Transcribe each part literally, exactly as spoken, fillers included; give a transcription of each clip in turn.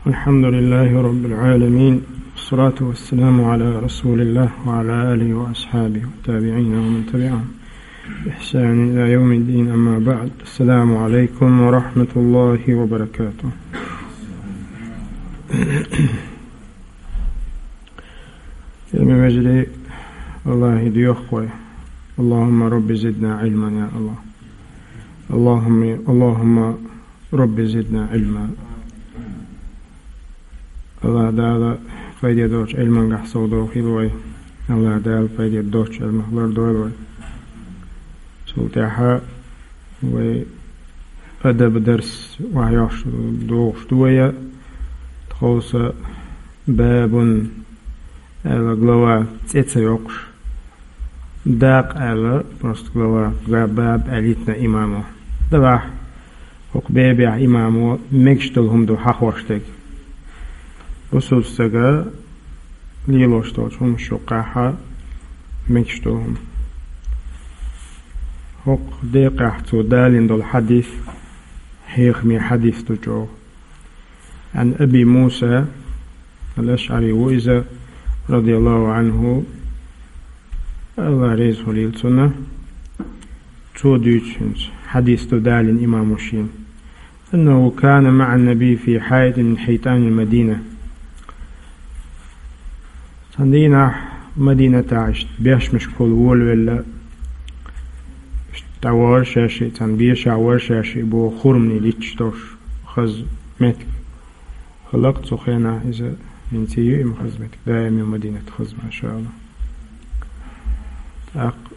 الحمد لله رب العالمين، والصلاة والسلام على رسول الله وعلى آله وأصحابه والتابعين ومن تبعهم بإحسان إلى يوم الدين، أما بعد. السلام عليكم ورحمة الله وبركاته. Хьоме вежарий, Аллахӏа доьху вай: اللهم رب زدنا علما, я Аллахӏ. اللهم، اللهم رب زدنا علما. Аллахӏ Дала пайде доцучу Ӏилманехь совдохийла вай. Аллахӏ Дала пайде доцучу Ӏилмах лардойла вай. Цул тӀаьхьа вай адаб дарс охьайоккхуш догӀуш ду вай. Тховса бабун аьлла глава цӀе ца йоккхуш, дакъа аьлла, просто глава, га-, баб аьлла йитина имамо. Давахь, хӀокху бабехь имамо мегаш долу хӀума ду хьахош дерг. Бусулба стага лелош долчу хӀуманаш юккъехь мегаш долу хӀума. ХӀокху декъехь цо далийна долу хьадис хьехаме хьадис ду чӀогӀа. عن أبي موسى الأشعري, ву иза, رضي الله عنه, Аллахь реза хуьлийла цунна, цо дуьйцу хӀинца, хьадис ду далийна имамо шена: أنه كان مع النبي في حائط من حيطان المدينة. Цхьана дийнахь Мадинатехь иштта бешмашкахула волавелла, иштта дӀавахара шаьш а, цхьана бешахь вара шаьш а боху хурманийн литташ долуш хаза меттиг. Хала-кх цу хенахь иза, хӀинца а ю и хаза меттиг, даим ю Мадинат хаза, машаалла. ТӀаккха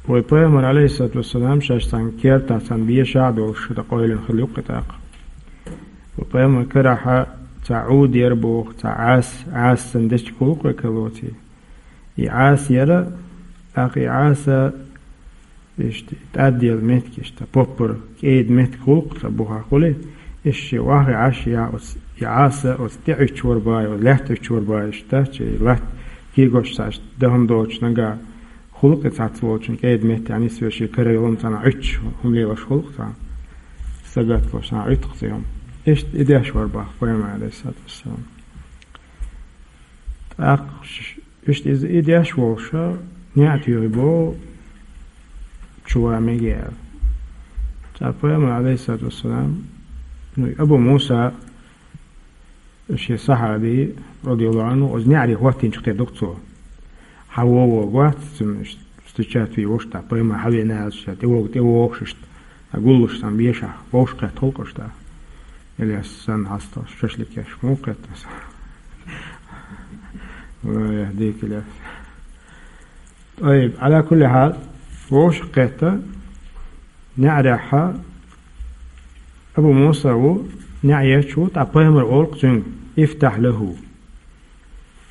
вай Пайхамар, Ӏалайхиссалату вассалам, шаьш цхьана кертахь, цхьана бешахь а долуш, дан къевлина хилла юккъе тӀаккха. Вай Пайхамар карахь цхьа Ӏуд яра боху, цхьа Ӏаса, Ӏаса санна дечиг хуьлу-кх вай керлачохь. И Ӏаса яра, тӀаккха и Ӏаса, иштта, тӀадделла меттиг, иштта, поппар, кӀеда меттиг хуьлу-кх цхьа бухахь хуьлий, иштта шен охьа а Ӏаш, я оцу, и Ӏаса оцу тӀе Ӏуьттуш вара боху, оцу лаьтта Ӏуьттуш вара боху, иштта, цхьа и латта кегош цхьа иштта дан хӀума доцуш нагахь хуьлу-кх и цхьацца волчун кӀеда метте, нисвеш, шен кара йолу хӀума цхьанхьа Ӏуьттуш хӀума лелош хуьлу-кх цхьа, сагатдеш цхьанхьа Ӏуьтту-кх цхьа и хӀума. Иштта и деш вара боху Пайхамар, Ӏалайхиссалату вассалам. ТӀаккха ш-, иштта иза и деш волуш, неӀ туьйхи боху, чу ван мега аьлла. Цкъа Пайхамар, Ӏалайхиссалату вассалам, ну, Абу Муса, шен сахьаби, радияллаху Ӏанху, оцу неӀаре хӀоттийначух тера ду-кх цо. Хьан вон-вон гоц, цуьнан иштта встречать вийр ву-кх тӀаккха, Пайхамар хьан веана аьлча, тӀевогу, тӀевогӀуш иштта, гуллуш санна бешахь, вовшахкхетта хуьлу-кх уьш тӀаккха. Ильяс санна хьасталуш, шашлык еш, муха кхетта аса? Ой, дика Ильяс. ТӀайиб, Ӏала кулли хьал, вовшахкхетта, неӀарехь Абу Муса ву, неӀ еш ву, тӀаккха Пайхамар олу-кх цуьнга: «Ифтахь лаху».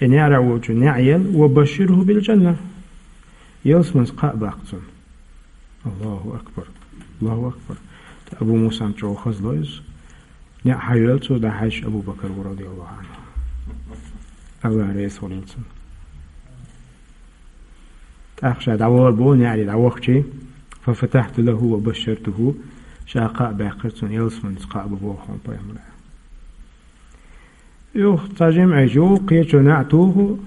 И неӀарехь волчун неӀ ела, «ва башширху бил джанна». Ялсаманица кхаъ баккха цунна. Аллаху акбар! Аллаху акбар! ТӀаккха Абу Мусана чӀогӀа хазло иза. НеӀ хьайоьллу цо, дӀахьаьжча Абу Бакар ву, радияллаху Ӏанху. Аллахь реза хуьлийла цунна. ТӀаккха ша дӀавахара боху неӀаре дӀавахча, «фа фатахьту лаху ва башшартуху», ша кхаъ баьккхира цунна, ялсаманица кхаъ бу боху хьуна Пайхамара. Юха цхьа жимма Ӏийча, юха кхечо неӀ туху,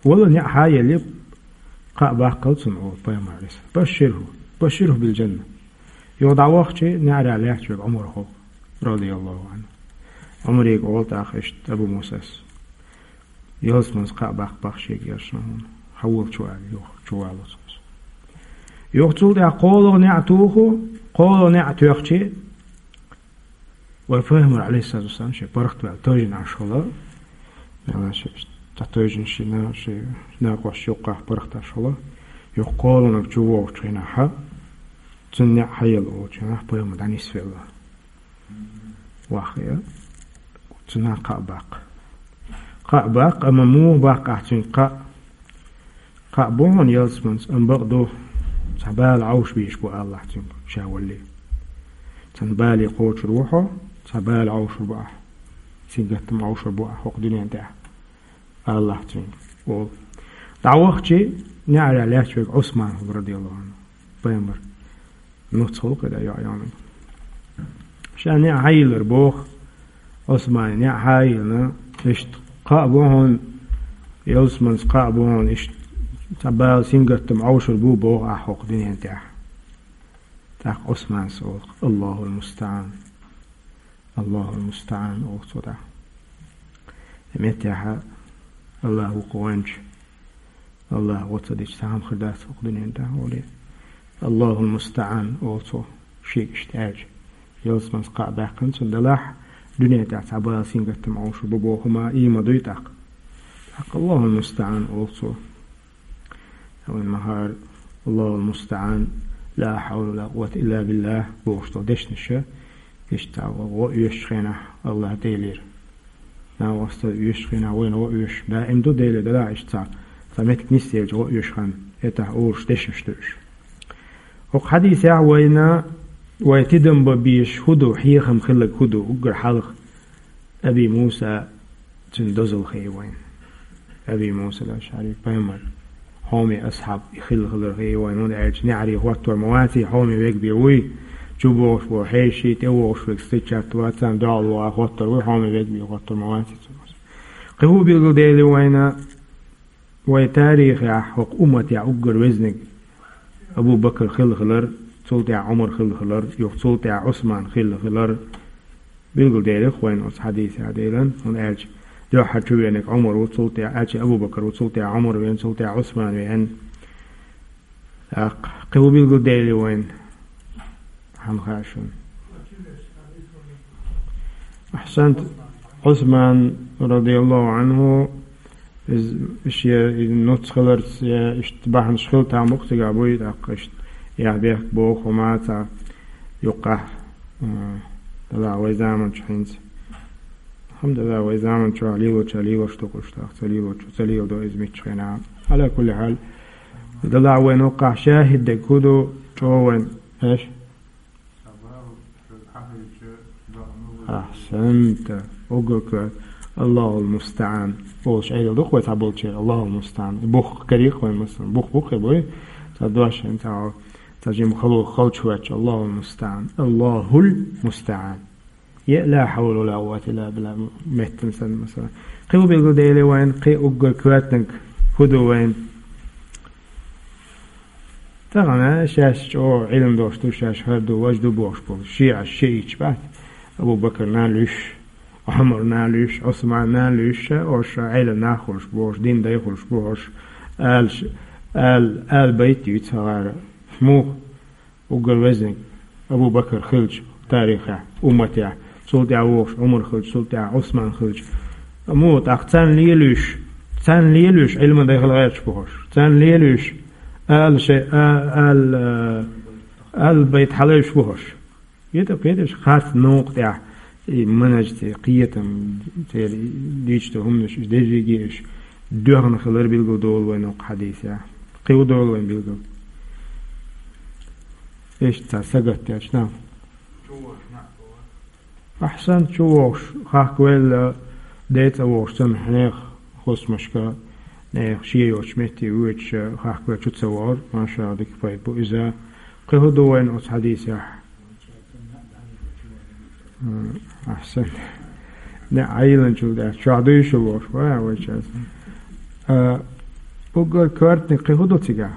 вала неӀ хьаелли, кхаъ баккхал цунна олу Пайхамара. Башширху, башширху бил джанна. Юха дӀавахча, неӀарехь лаьтташ верг Ӏумар хилла, радияллаху Ӏанху. Ӏумаре олу тӀаккха иштта Абу Мусас: «Ялсаманица кхаъ баккха боху шега, я Расулаллахь, хьан волчу аьлла, юха чуваллалц». Юха цул тӀаьхьа кхоалгӀа неӀ туху, кхоалгӀа неӀ тоьхча, вай Пайхамар, Ӏалайхиссалату вассалам, шен паргӀатваьлла тевжина Ӏаш хилла, мелла шен цхьа тевжина шен на-, шен накъосташна юккъехь паргӀатвеш хилла, юха кхоалгӀаниг чувогӀучу хенахь, цунна неӀ хьаелла волчу хенахь Пайхамар дӀанисвелла. Ваххе, цунна кхаъ баккха. Кхаъ баккха, амма муха баккха ахь цуьнга кхаъ? Кхаъ бу хьуна ялсаманица, амма бакъду, цхьа бала Ӏовшабезаш бу алалахь цуьнга ша валале. Цхьана бале кхочур ву хьо, цхьа бала Ӏовшур бу ахь. Сингаттам Ӏовшур бу ахь хӀокху дуьнен тӀехь, алалахь цуьнга, олу. ДӀавахча, неӀарехь лаьтташ верг Ӏусман хилла, радияллаху Ӏанху. Пайхамар нуц хилла кхидӀа йоӀ йониг. Ша неӀ хьайиллира боху, Ӏусмана неӀ хьайилна, иштта кхаъ бу хьуна, ялсманца кхаъ бу хьуна, иштта цхьа бала сингаттам Ӏовшур бу боху ахь хӀокху дуьнен тӀехь. ТӀаккха Ӏусманас олу: «Аллахул мустаӀан. Аллахул мустаӀан», олу цо тӀаккха. И меттехь Аллах ву кху вайнчу. Аллах гӀо ца дича, цхьа хӀума хир дац хӀокху дуьнен тӀехь, олий. «Аллахул мустаӀан», олу цо, шега иштта аьлча. Ялсманца кхаъ баьккхина цунна, делахь, дуьнен тӀехь цхьа бала сингаттам Ӏовшур бу боху хӀума и ма дуй тӀаккха. ТӀаккха «Аллахул мустаӀан», олу цо. Вайн ма-хаъара, «Аллахул мустаӀан, ла хьавла ва ла къуввата илла биллах» бохуш долу дешнаш, иштта гӀо оьшучу хенахь Аллах Делера. Нагахь оьшучу хенахь вайна гӀо оьшу даим ду, Деле делахь иштта цхьа, цхьа меттиг нисделча гӀо оьшу хан, этахь олуш дешнаш ду уьш. ХӀокху хьадисехь вайна, вай тидам бан безаш хӀун ду, хьехам хилларг хӀун ду, уггар хьалха Аби Муса, цуьнан дозалла хии вайна. Аби Муса ал-АшӀари, пайхамар хьоме асхьаб и хилла хилар хии вайна, хӀунда аьлча неӀаре хӀоттор ма ваций, хьоме вег бен вуй, чу бохуш бу хьеший, тӀе вогӀуш верг стичат вацан, догӀал вогӀа хӀоттор вуй, хьоме вег бен хӀоттор ма ваций цо. Кхин хӀун билгалдели вайна, вай тарихехь хӀокху умматехь уггар везниг Абу Бакр хилла хилар, цул тӀаьхьа Ӏумар хилла хилар, юха цул тӀаьхьа Ӏусман хилла хилар. Билгалделира-кх вайна оцу хьадисехь Делан, хӀунда аьлча дуьххьара чу веаниг Ӏумар ву, цул тӀаьхьа, аьлча Абу Бакр ву, цул тӀаьхьа Ӏумар веана, цул тӀаьхьа Ӏусман веана. ТӀаккха кхин хӀун билгалдели вайна? Хьан хаьа шуна? Ахьсант, Ӏусман, радияллаху Ӏанху, иза шен нуц хиларца, я иштта бахьанаш хила там бу-кх цигахь буй, тӀаккха иштта яхь бехк боху хӀума цхьа юккъахь, а, дала вай заманчу хӀинца. Алхьамдулиллах, вай заманчохь лелоча лелош ду-кх уьш, тӀаккха ца лелочо ца леладо иза мичча хенахь. Ӏала кулли хьал, дала вайна юккъахь шахӀид дерг хӀун ду, чӀогӀа вайна, эш? Ахьсанта. Уггар коьрта. Аллахул мустаӀан. Олуш Ӏедал ду-кх вай цхьаболчеран. Аллахул мустаӀан. И бух карийра-кх вайн, масалан. Бух бу-кх и, буй? Цхьа дош хӀинца, цхьа жима хало халчахӀоьттича. Аллахул мустаӀан. Аллахул мустаӀан. Я ла хьавла ва ла къуввата илла биллах меттана санна, масалан. Кхин хӀун билгалдели вайна, кхин уггар коьртаниг хӀун ду вайна? Тахана шаьш чӀогӀа Ӏилма долуш ду, шаьш хӀара ду, важа ду бохуш болу шиӀаш, шиӀиташ бац. Абу Бакрна луьйш, Ӏумарна луьйш, Ӏусманна луьйш, хӀорш Ӏелам нах хуьлуш бу хӀорш, дин дай хуьлуш бу хӀорш, ала ш-, ала, ала байт юьйцу хӀара. Муха? Уггар везниг Абу Бакр хилча тарихехь, умматехь, цул тӀаьхьа вогӀуш Ӏумар хилча, цул тӀаьхьа Ӏусман хилча. Амма тӀаккха царна лелуьйш, царна лелуьйш Ӏилма дай хила гӀерташ бу хӀорш. Царна лелуьйш ала шай, а-, ала, ала байт хьалайш бу хӀорш. КхетӀа, кхеташ харц новкъа тӀехь, и манаж церан, кхетам церан, дийцаш долу хӀуманаш, уьш дерриге уьш доьхна хилар билгал долу вайн хӀокху хьадисехь. Кхин хӀун долу вайн билгал? Иштта цхьа сагатделча нах. Ахьсанта, чу вогӀуш, хахкавелла, ден цӀа вогӀуш санна, хьеха хӀусамашка, нехан шен йоцучу метте воьдуш, хахкавелла чу ца вогӀура, машалла, дика пайда бу иза. Кхин хӀун ду вайна оцу хьадисехь? М, ахьсанта. Не, Ӏайиланчул дац, чохь дуй шу лош, вай, вай час. А, уггар коьртаниг кхин хӀун ду цигахь?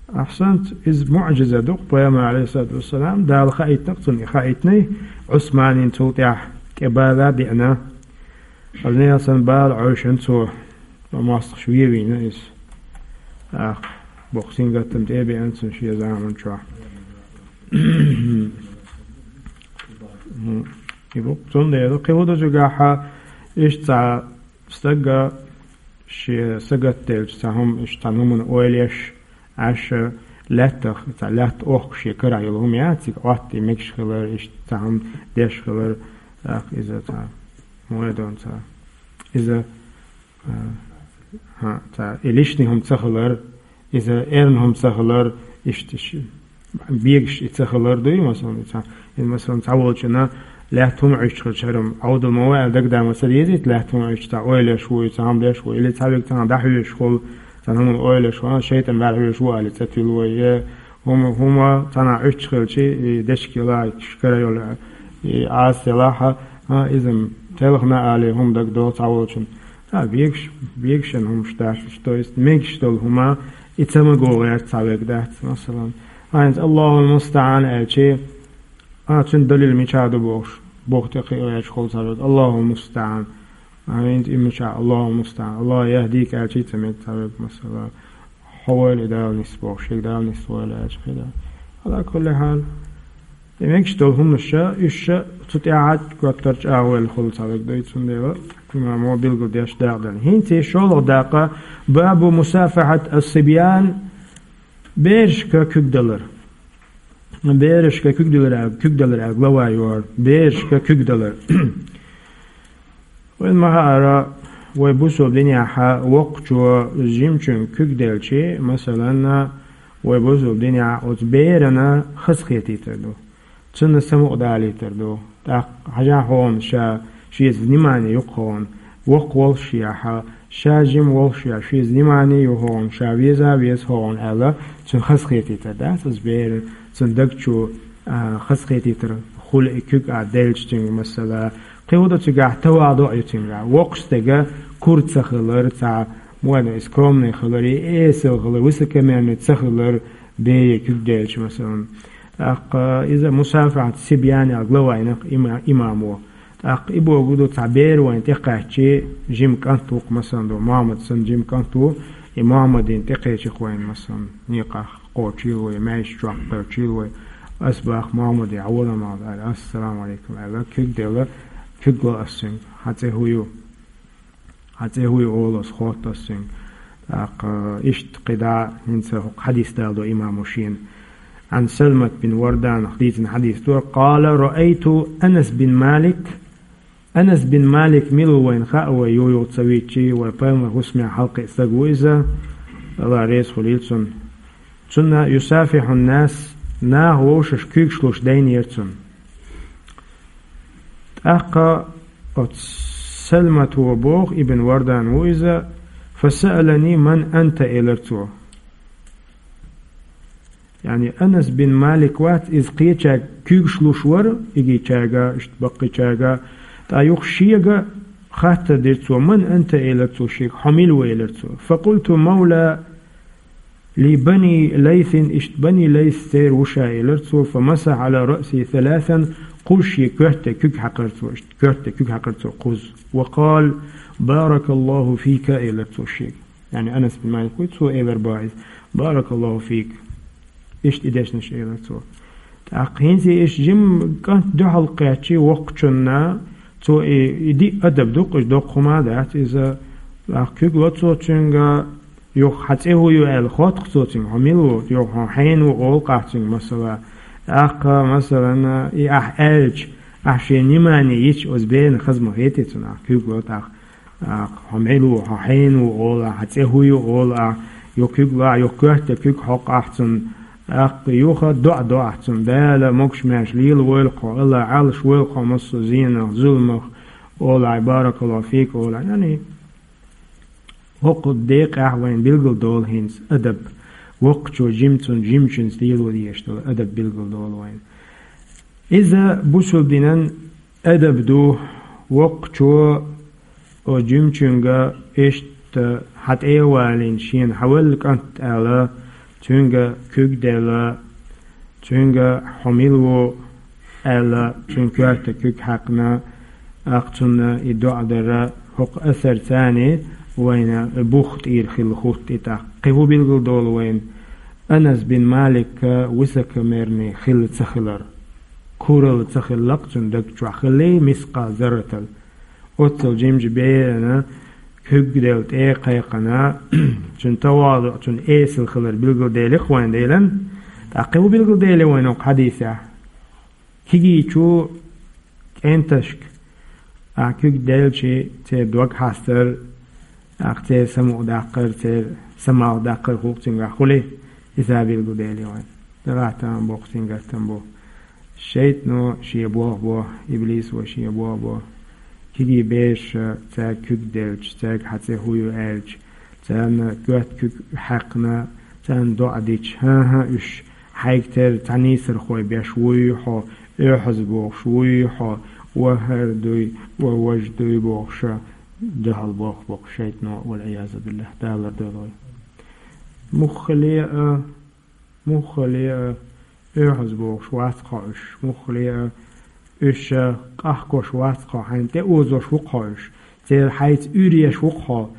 Ахьсанта, иза муӀжиза ду-кх, пайхамар, алейхиссалату вассалам, Дала хаийтина-кх цунна, и хаийтиний, Ӏусманин цул тӀаьхьа тӀе бала а деана. Аса нехан санна бала Ӏойшина цо, ма мостагӀаш вен вийна иза. Ах, боккха сингаттам тӀе а беана цунна шен заман чохь. И бу-кх цундела, кхин хӀун ду цигахь, иштта цхьа стага шен сагатделча цхьа хӀума, иштта цхьа хӀуманна ойла еш, Ӏаш лаьттах, цхьа лаьтта охку шен карахь йолу хӀума яц, цига Ӏоттий мегаш хилар, иштта цхьа хӀума деш хилар, тӀаккха иза цхьа, хӀун ду цхьа, иза, а, хьан, цхьа, и лишний хӀума ца хилар, иза эрна хӀума ца хилар, иштта иш-, бегаш и ца хилар дуй, масалан, и цхьа, и, масалан, цхьа волчунна лаьтта хӀума Ӏуьттуш хилча, хӀара-м Ӏовдал ма ву аьлла дагадама ца дезийта, лаьтта хӀума Ӏуьттуш, цхьа ойла еш ву, и цхьа хӀума деш ву, или цхьа верг цхьана дӀахьоьжуш хуьлу, цхьана хӀуманна ойла еш ву, а, шайтӀан бӀаьрахьоьжуш ву аьлла, ца туьллу вай, е хӀума, хӀума цхьана Ӏуьттуш хилча, и дешка йола, кара йола, И Ӏаса елахь, а, иза телхина али хӀума дагадоагӀа цхьаволчунна. А, бегаш, бегашан хӀумаш дац, то есть мегаш долу хӀума, и ца маго гӀерта цхьаверг дац, масалан. А, хӀинца «Аллахул мустаӀан» аьлчи, а, цуьнан далил мичахь ду бохуш, боху тӀе кхиаваьлча хуьлу цхьаверг, «Аллахул мустаӀан». А, хӀинца и мичахь, «Аллахул мустаӀан», «Аллах яхӀдика» аьлчи ца мега цхьаверг, масала. «Хьо войла и Дала нисбоху, шега Дала нисвойла», аьлча хир ду. Ала кулли хьал. И мегаш долу хӀуманаш, уьш ша цу тӀаьхьа готтар чӀагӀвелла хуьлу цхьаверг дуй, цундела имамо билгалдеш дакъа дара. ХӀинца и шолгӀа дакъа, бабу мусафахьат ас-сибьян, берашка куьг далар. Берашка куьг далар, куьг далар, глава йор, берашка куьг далар. Вайн ма хаара, вай бусул динехьа воккхачо жимачуьнга куьг делчи, масалан, вай бусул динехьа оцу берана хазахетийтар ду. Цунна самукъа далийтар ду. ТӀаккха хьажахь хьуна ша, шеца внимание юкъа хьуна, воккха волуш яхьа, ша жима волуш яхьа, шеца внимание ю хьуна, ша веза, веза хьуна аьлла, цунна хазахетийтар дац, оцу берана, цунна даг чу, а, хазахетийтар хуьлу и куьг а делча цуьнга, масала, кхин хӀун ду цигахь, таваду а ю цуьнгахь. Воккхачу стеган кура ца хилар, цхьа, муьлха, и скромный хилар, и эсала хилар, высокомерный ца хилар, бея куьг делча, масалан. ТӀаккха иза мусафахьат сибьян аьлла глава йина-кх има-, имамо. ТӀаккха и бохург ду, цхьа бер вайна тӀекхаьччи, жима кӀант ву-кх, масалан, ду, Мохьмад санна жима кӀант ву, и Мохьмадна тӀекхечи-кх вайна, масалан, некъахь кхочийла вай, маьждиг чохь кхочийла вай. Ас боху Мохьмаде, хьан вала ма аьлла, ассаламу Ӏалайкум аьлла, куьг делла, куьг ло ас цуьнга, хьан цӀе хӀун ю? Хьан цӀе хӀун ю олу ас, хотту ас цуьнга. ТӀаккха иштта кхидӀа хӀинца хӀокху хьадис даладо имамо шена. Ӏан Салмат бин Варданах дийцина хьадис ду. Къала: «Раайту Анас бин Малик». Анас бин Малик мила ву вайна хаьа, вай юй-юй ца вийчи, вай пайхамар хӀусаме хьалакхиъна стаг ву иза, Алла реза хуьлийла цунна. Цунна юсафихьун нас, наха вовшашка куьйгаш луш дайнера цунна. ТӀаккха оцу Салмато боху, ибн Вардан ву иза, «Фасаалани ман анта», элира цо. Яъни Анас бин Малик вац, иза кхечаьрга куьйгаш луш вара, игичаьрга, иштта баккхичаьрга, ткъа юха шега хаттар дира цо, «Ман анта?» элира цо шега, «Хьо мила ву?» элира цо. «Факъулту мавла ли бани Лайсин», иштта бани Лайс церан ву ша элира цо, «фамасахьа ала раъси саласан», кхуза шен коьрте куьг хьаькхира цо, иштта коьрте куьг хьаькхира цо кхуза. «Ва къала: баракаллаху фика», элира цо шега. Яъни Анас бин Малик вуй, цо элира боху иза: «Баракаллаху фик». Иштта и дешнаш элира цо. ТӀаккха хӀинца иштта жима кӀант дуьхьал кхаьччи воккхачунна, цо и, и диъ адаб ду-кх, уьш доккха хӀума дац иза. ТӀаккха куьг ло цо цуьнга, юха хьан цӀе хӀун ю аьлла хотту-кх цо цуьнга, хьо мила ву, юха хьо хьенан ву олу-кх ахь цуьнга, масала. ТӀаккха, масалан, и ахь аьлча, ахь шен внимание йича, оцу берана хаза ма хетий цунна, ахь куьг ло тӀаккха. Ахь хьо мила ву, хьо хьенан ву олу ахь, хьан цӀе хӀун ю олу ахь, юха куьг ло ахь, юха коьрте куьг хьокху ахь цунна, тӀаккха юха доӀа до ахь цунна, Дала могуш-маьрша лела войла хьо, Алла Ӏалаш войла хьо массо а зенах, зуламах олу ахь, баракаллаху фик олу ахь. Яъни, хӀокху декъехь вайна билгал долу хӀинца адаб, воккхачо жимцун-, жимачуьнца лело дезаш долу адаб билгал долу вайна. Иза бусулба динан адаб ду, воккхачо оцу жимачуьнга иштта хьан тӀе а валийна, шена хьан велла кӀант аьлла, цуьнга куьг делла, цуьнга хьо мила ву аьлла, цуьнан коьрта куьг хьаькхна, тӀаккха цунна и доӀа дара, хӀокху асарца вайна бух тӀера хилла хӀутту и тӀаккха. Кхин хӀун билгал долу вайна? Анас бин Малика высокомерный хилла ца хилар. Куралла ца хилла-кх цуьнан даг чохь хилла мискъал зарратал. Оццул жимчу берана куьг делла тӀе а кхайкхина, цуьнан тавазуъ, цуьнан эсала хилар билгалдели-кх вайна Делан. ТӀаккха хӀун билгалдели вайна хӀокху хьадисехь? Кегийчу кӀенташка ахь куьг делчи, церан дог хьастар, ахь церан самукъадаккхар, церан самалхадаккхар хӀума цуьнгахь хуьлий, иза билгалдели вайна. Делахь там боккха сингаттам бу. ШайтӀано шен болх бо, иблисо шен болх бо. Кегий бераша цаьрга куьг делча, цаьрга хьан цӀе хӀун ю аьлча, царна коьрта куьг хьаькхна, царна доӀа дича, хӀан-хӀа, уьш хьайга тера цхьа нийсархой беш вуй хьо, Оьгьаз бохуш вуй хьо, вахар дуй, ва важ дуй бохуша, дуьхьал боху боху шайтано, валь-Ӏиязу биллахӀ, Дала лардойла вай. Муххале а, муххале а, оьгьаз бохуш вац хьо уьш, муххале а, уьш къахкош вац хьо, хьайна тӀеозош ву хьо уьш. Церан хьайца уьйр еш ву хьо.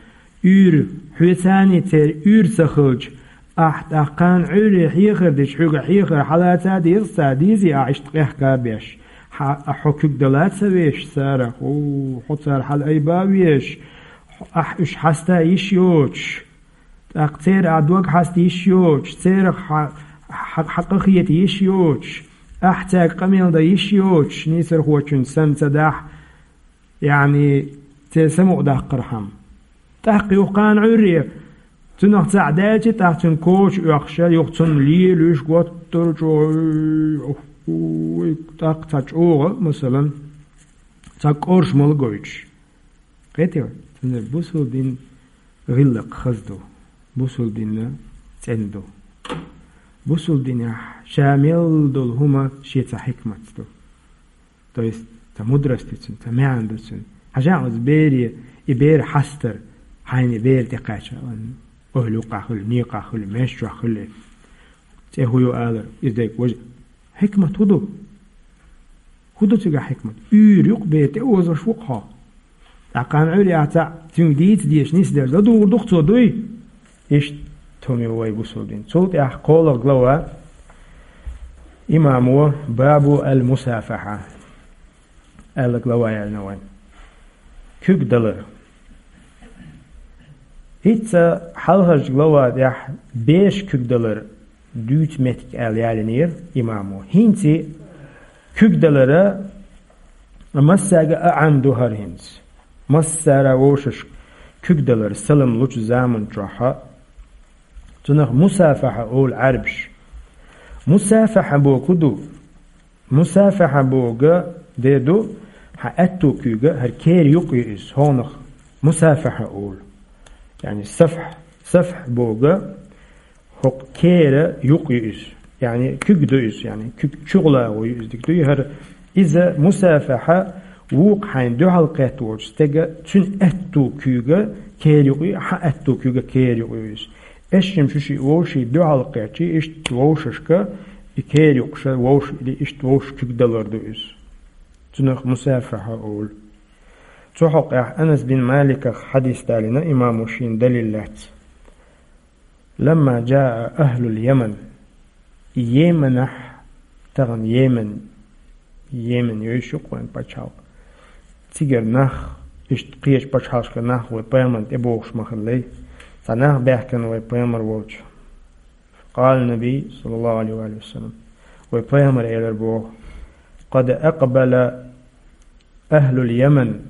Уьйр, хьоьцаний церан уьйр ца хилча, ахь тӀаккха кхана Ӏуьйре хьехар дича, хьоьга хьехар хьалаца деза ца дезий, ахь иштта къехка беш. Хьа, хьо куьг дала ца веш царах, у, хьо цара хьала айба веш, ахь уьш хьаста йиш йоцуш, тӀаккха церан ахь дог хьаста йиш йоцуш, церах хьа, хьа, хьа къахета йиш йоцуш, ахь цаьрга къамел дан йиш йоцуш, нийсархочун санна ца дахь, яъни, церан самукъадаккхархьама. ТӀаккха юха кхана Ӏуьйре, цунах цхьаъ даьлча, тӀаккха цуьнан коча оьхуша, юха цунна лелуьйш, готтар чӀогӀа, ой, тӀаккха цхьа чӀогӀа, масалан, цхьа кӀоршамал гойтуш. Кхетий вай? Цундела бусулба дин гӀиллакх хаза ду, бусулба дин цӀена ду. Бусулба динехь ша мел долу хӀума шен цхьа хьикматца ду. То есть, цхьа мудрость ду цуьнан, цхьа маьӀна ду цуьнан. Хьажа оцу бере, и бер хьастар, хьайна и бер тӀекхаьчча, ойла юккъахь хуьлу, некъахь хуьлу, меш чохь хуьлу. ЦӀе хӀун ю алар, иза дерг важа. Хьикмат хӀун ду? ХӀун ду цигахь хьикмат? Уьйр юкъа бер тӀеозош ву хьо. ТӀаккха кхана Ӏуьйре ахь цхьаъ цуьнга дийца дезаш нисделча, ладугӀур ду-кх цо, дуй? Иштта хӀума ю вай бусулба дин. Цул тӀаьхьа кхоалгӀа глава, имамо, бабу аль-мусафахьа аьлла глава яьлла вайн. Куьг далар. ХӀинца хьалхарчу глава тӀехь бераш куьг далар дуьйцу меттиг аьлла ялийнера имамо. ХӀинца куьг далара массаьрга а Ӏам ду хӀара хӀинца. Массара вовшашка куьг далар салам лучу заман чохь а. Цунах мусафахьа олу Ӏаьрбаш. Мусафахьа боху ду? Мусафахьа боху де ду, хьан аьтту куьйга хӀара кера юкъа ю иза, хьонах мусафахьа олу. Яъни сафхь, сафхь боху, хӀокху кера юкъа ю иза. Яъни куьг ду иза, яъни куьг чугӀлагӀо ю иза, дика дуй хӀара. Иза мусафахьа вукху хьайна дуьхьал кхетта волчу стеган цуьнан аьтту куьйга кера юкъа ю, хьан аьтту куьйга кера юкъа ю иза. Эшшим шу шиъ вовшийн дуьхьал кхетчий, иштта вовшашка и кера юкъа ша вовш или иштта вовш куьг далар ду иза. Цунах мусафахьа олу. Цу хьокъехь Анас бин Маликах хьадис далийна имамо шена далил лаьцна. Ламма джаа ахлул Яман. Йеменахь, тахана Йемен, Йемен йойуш ю-кх вайн пачхьалкх. Цигара нах, иштта кхечу пачхьалкхашкара нах вай пайхамарна тӀебогӀуш ма хиллий. Цхьа нах баьхкина вай пайхамар волчу. Къала Наби, саллаллаху алейхи ва саллям. Вай пайхамар элар боху: «Къад акъбала ахлул Яман,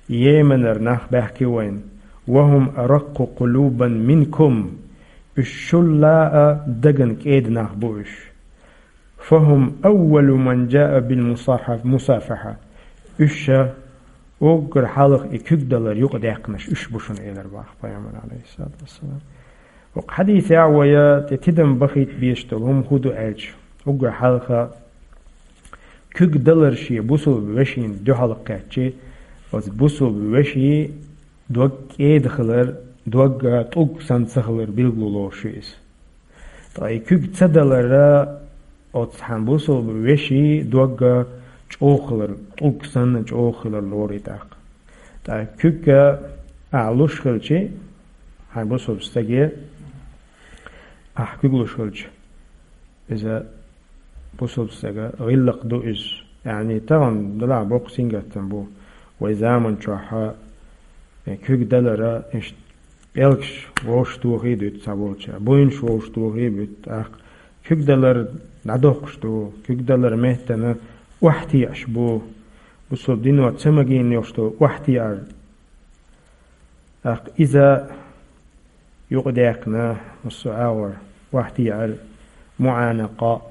Йеменара нах баьхки вайна, ва хӀум араккху къулубан минкум, уьш шул а дагна кӀеда нах бу уьш. Фа хӀум аввалу ман джаа бил мусахьа-, мусафахьа». Уьш ша уггар хьалха и куьг далар юкъадаьккхинарш уьш бу шуна, элар боху пайхамар, алейхиссалату вассалам. Оцу хьадисехь вай тӀе тидам бахийта безаш долу хӀума хӀун ду аьлча, уггар хьалха куьг далар шен бусулба вешина дуьхьал кхетчий, оцу бусулба вешин дог кӀеда хилар, дог тӀулг санна ца хилар билгало лоруш ю иза. Ткъа и куьг ца далара оцу хьан бусулба вешин дог чӀогӀа хилар, тӀулг санна чӀогӀа хилар лору и тӀаккха. Ткъа куьг ахь луш хилчий, хьайн бусулба стаге ахь куьг луш хилча, иза бусулба стага гӀиллакх ду иза. Яъни, тахана делахь боккха сингаттам бу. Вай заман чохь а, э, куьг далара, иштта пӀелгаш вовшах тохий а дуьту цхьаболчара, буйнаш вовшах тохий а буьту, тӀаккха куьг далар дӀадоккхуш ду, куьг далар меттана охьатеӀаш бу. Бусулба дино ца магийна йолуш долу охьатеӀар. ТӀаккха иза юкъадаьккхина массо а агӀор, охьатеӀар, муӀанакъа,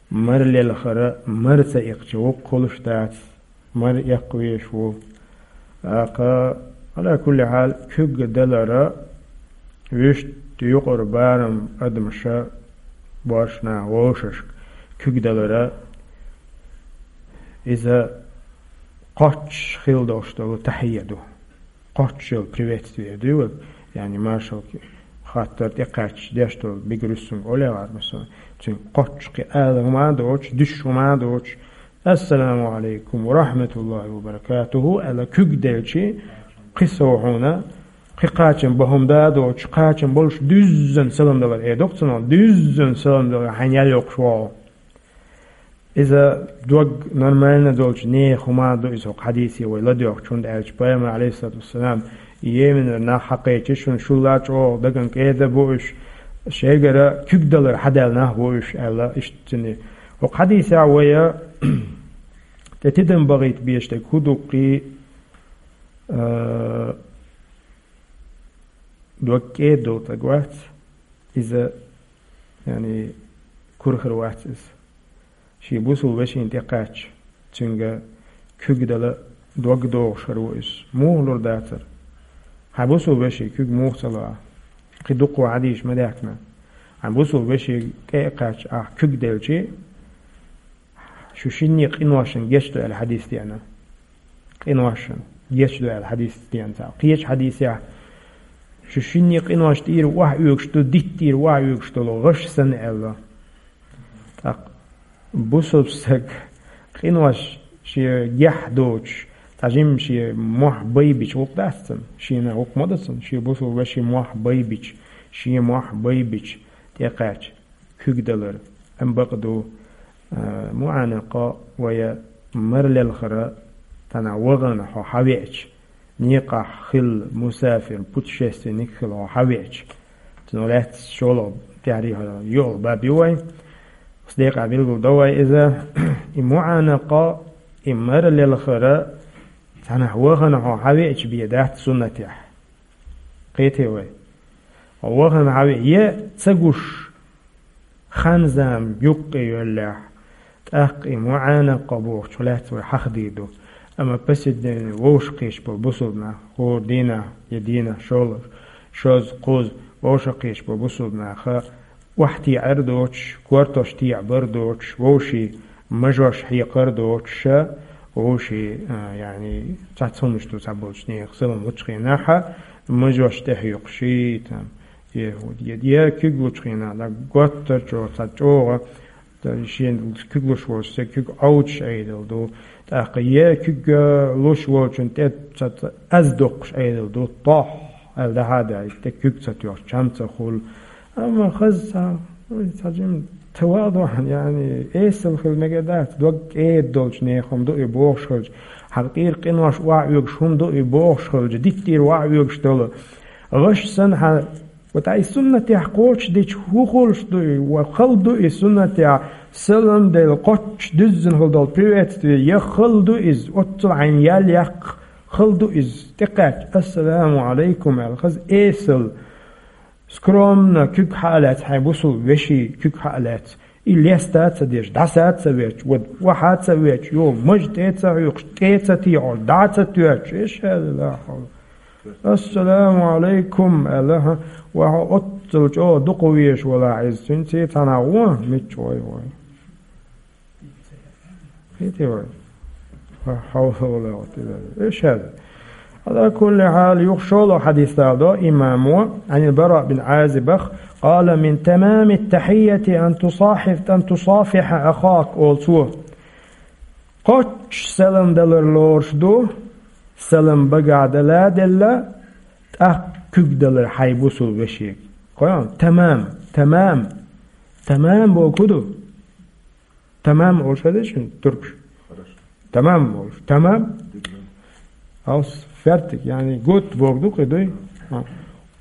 мара лелхара, мара ца иккхича воккха хуьлуш дац, мара эккха везаш ву. ТӀаккха, Ӏала кулли хьал, куьг далара вуьшта юкъара барам адамаша, боьрша наха вовшашка куьг далара Иза кхоччуш хила долуш долу тахьийя ду. Кхоччуш йолу приветствие дуй вай, яъни маршалла хаттар тӀекхаьчча деш долу бигрусунг олехьара, масала, цуьнан кхоччуш кхин ала хӀума а доцуш, дуьсуш хӀума а доцуш, «Ассаламу алейкум ва рахматуллахи ва баракатуху», аьлла куьг делчи, кхин сов хьуна, кхин кхачам бан хӀума да а доцуш, кхачам болуш дуьззина салам далар, э, доккха ца нал, дуьззина салам далар, хьайна ял йоккхуш вогӀу. Иза дог нормально долчу нехан хӀума ду иза хӀокху хьадийсе вай ладоьгӀучу, хӀунда аьлча Пайхамар, алейхиссалату вассалам, и Йеменера нах хьакхечи шуна, шулла чӀогӀа даган кӀеда бу уьш, шайгара куьг далар хьадаьлла нах бу уьш, аьлла, иштта цуьнан. ХӀокху хьадийсехь вай тӀе тидам бахийта безаш дерг хӀун ду-кх, а, дог кӀеда долу стаг вац, иза, яъни, кура хир вац иза. Шен бусулба вешина тӀекхаьчча, цуьнга куьг дала дог догӀуш хир ву иза. Муха лур дацара? Хьан бусулба вешин куьг муха ца ло ахь? Кхин дукха хьадийсаш ма даьхкина. Хьан бусулба вешин тӀе а кхаьчча ахь куьг делчи, шу шинне къиношна гечдо аьлла хьадийс деана. Къиношна гечдо аьлла хьадийс деана цхьа. Кхечу хьадийсехь, шу шинне къинош тӀера охьаоьгуш ду, дитт тӀера охьаоьгуш долу гӀаш санна аьлла. ТӀаккха бусулба стаг къинош шен гехь доцуш, цхьа жимма шен мохь байбича гӀуллакх дац цуьнан, шена гӀуллакх ма ду цуьнан, шен бусулба вешин мохь байбича, шен мохь байбича тӀекхаьчча куьг далар. Амма бакъ ду, а, муӀанакъа вай мара лелхара, цхьанхьа вахана хьо хьавеача, некъахь хилла мусафир, путешественник хилла хьо хьавеача. Цунах лаьцна шолгӀа тӀаьхьарий хьо йолу баб ю вай. Оцу декъехь билгал до вай иза. И муӀанакъа, и мара лелхара, цхьанхьа вахана хьо хьавеача бен дац суннатехь. Кхетий вай? Хьо вахана хьаве-, е ца гуш, хан-зама юккъе йоьллехь, тӀаккха и муӀанакъа бохучух лаьцна вай хьахадийр ду. Амма повседневный вовшахкхеташ болу бусулба нах, хӀора дийнахь, я дийнахь шолгӀа, шозза, кхузза вовшахкхеташ болу бусулба наха охьатеӀар доцуш, кортош теӀабар доцуш, вовшийн мажош хьекхар доцуша, вовшийн, а, яъни, цхьацца хӀуманаш ду цхьаболчу нехан салам лучу хенахь, мажош тӀехьоькхуш, там, е, е, е куьг лучу хенахь, да, готтар чӀогӀа, цхьа чӀогӀа, да, шена куьг луш волчу, церан куьг Ӏовдуш Ӏедал ду. ТӀаккха е куьг, а, луш волчун тӀе ца, ца, аз доккхуш Ӏедал ду. Тох, аьлла, дахьа а даьлла, тӀе куьг ца тоьхча, чам ца хуьлу. Амма хаза цхьа, ой, цхьа жима тӀе вахана, яъни, эсала хила мегар дац, дог кӀеда долчу нехан хӀума ду и бохуш хилча, хьан тӀера къинош охьаоьгуш хӀума ду и бохуш хилча, дитт тӀера охьаоьгуш долу гӀаш санна хьан, вот, ай суннатехь кхочушдича, хӀун хуьлуш ду и, ва хала ду и суннатехь, салам делла, кхоччуш дуьззина хила долу приветствие, я хала ду иза, оццул хьайна ял яккха, хала ду иза, тӀекхаьчча, «Ассаламу алейкум», аьлла, хаза эсала, скромно куьг хьа а лаьцна, хьайн бусулба вешин куьг хьа а лаьцна, и леста а ца деш, дӀаса а ца веш, вот, охьа а ца веш, йо, мажа тӀе а ца хьоькхуш, тӀе а ца тӀехьош, дӀа а ца тоьттуш, иша, ла хьавла. «Ассаламу алейкум», аьлла, хьан, ва хьо оццул чӀогӀа дукха везаш валахь иза, цуьнца цхьанхьа вон, мичча вай вай. Кхетий вай? Ла хьавла ва ла къуввата илла билла. Иша. Ала кулли хьал, юха шолгӀа хьадис даладо имамо, Ӏанил Бараъ бин Ӏазибах, къала: «Мин тамамит тахьийяти ан тусахьиф-, ан тусафиха ахак», олу цо. Кхоччуш салам далар лоруш ду, салам багахь дала а делла, тӀаккха куьг далар хьайн бусулба вешега. Кхойкху, тамам, тамам. Тамам бохург хӀун ду? Тамам олуш хеза шуна туркуш? Тамам олуш. Тамам? Алс, фертиг, яъни гуд бохург ду-кх и, дуй?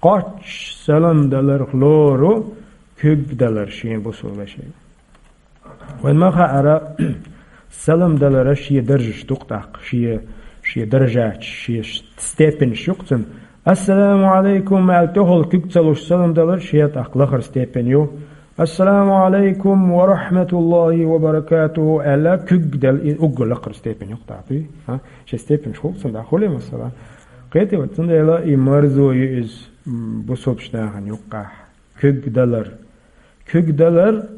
Кхоччуш салам даларх лору куьг далар шен бусулба вешега. Вайн ма хаьара, салам далара шен даржаш ду-кх тӀаккха, шен, шен даржаташ, шен степенаш ю-кх цуьнан. «Ассаламу алейкум», аьлла, тӀехула куьг ца луш салам далар шен тӀаккха лахара степень ю. «Ассаламу алейкум ва рахматуллахи ва баракатуху», аьлла, куьг дала, и уггар лакхара степень ю-кх тӀаккха, дуй? А? Шен степенаш хуьлу-кх цуьнан, да, хуьлий, масала? Кхетий вай, цундела и марзо ю иза, м, бусулбачу нахана юккъехь. Куьг далар. Куьг далар,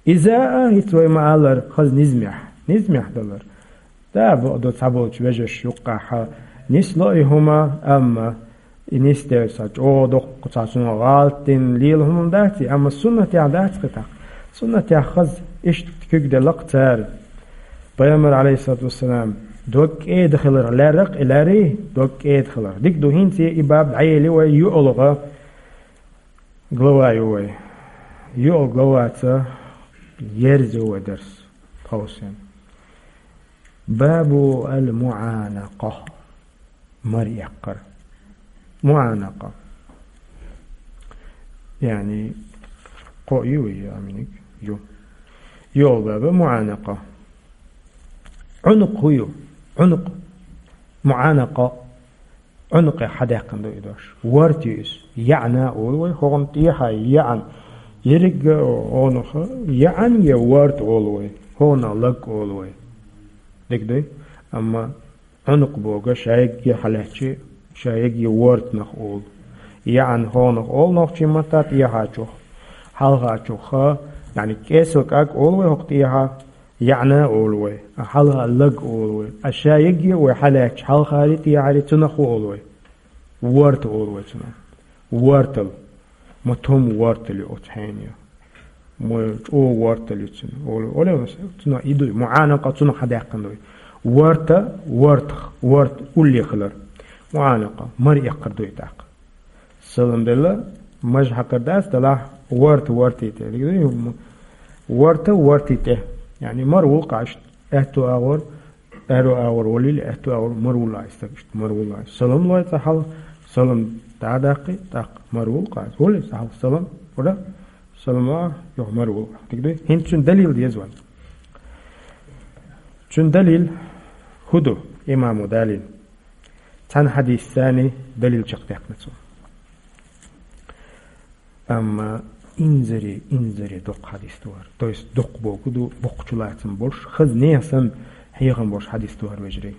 иза а, хӀинца вай ма-аллара, хаза низамехь. Низамехь далар. Да, бо-, до цхьаболчу вежарш юккъахьа нисло и хӀума, амма и нисделла сан чӀогӀа доккха цхьа суна гӀалатдина лела хӀума дац и, амма суннатехь дац кхетахь. Суннатехь хаза иштта куьг делла-кх цара. Пайхамар, алейхиссалату вассалам, дог кӀеда хиларх лаьрра-кх и лаьррий, дог кӀеда хиларх. Дика ду хӀинца и баб дӀаели вай юалгӀа глава ю вай. ЙоӀ главаца ерза ю вай дарс тховсийна. Бабу ал-муӀанакъа. Мара эккхар. МуӀанакъа. Яъни, кхоъ ю вай, аминиг? Ю. ЙоӀ баба муӀанакъа. Ӏунукъ хӀу ю? Ӏунукъ. МуӀанакъа. Ӏунукъе хьадаьккхина ду и дош. Ворта ю иза. ЯӀна олу вай, хӀокхунна тӀехьа яӀан. Ерригга онаха яӀан я ворта олу вай. ХӀокхунна лаг олу вай. Дика дуй? Амма Ӏунукъ бохург ша егге хьалаьцчи, ша егге вортанах олу. ЯӀан хӀокхунах олу нохчийн матта тӀехьачух. Хьалхачух, яъни кӀесал кӀаг олу вай хӀокху тӀехьа, яӀна олу вай, а хьалха лаг олу вай. А ша егге вай хьалаьцча, хьалхари тӀехьари цунах хӀу олу вай? Ворта олу вай цунах. Вортал. Ма тум вортал ю оцу хьенан. Ма чӀогӀа вортал ю цунах. Олу, олу, цунах и дуй, муӀанакъа цунах хьадаьккхина дуй. Ворта, вортах, ворта улле хилар. МуӀанакъа, мара эккхар дуй тӀаккха. Салам делла, мажа хьакхар дац, делахь, ворта, ворти тӀе. Дика дуй, ворта, ворти тӀе. Яъни мара вулкъаш, аьтту агӀор, аьрру агӀор валийла, аьтту агӀор мара вуллахь и стаг, иштта мара вуллахь. Салам лой цкъа хьалха, салам дӀа а даккхий, тӀаккха мара вулкъаш. Валийла цкъа хьалха салам, ура, салам лой, юха мара вуллахь. Дика дуй? ХӀинца цуьнан далил деза вайна. Цуьнан далил хӀу ду, имамо далийна? Цхьана хьадисца далил чекхдаьккхина цо. Амма инзаре, инзаре доккха хьадис ду хӀара. То есть доккха бохург ду, боккхачу лацам болуш, хаза нехан санна хьехам болуш хьадис ду хӀара, вежарий.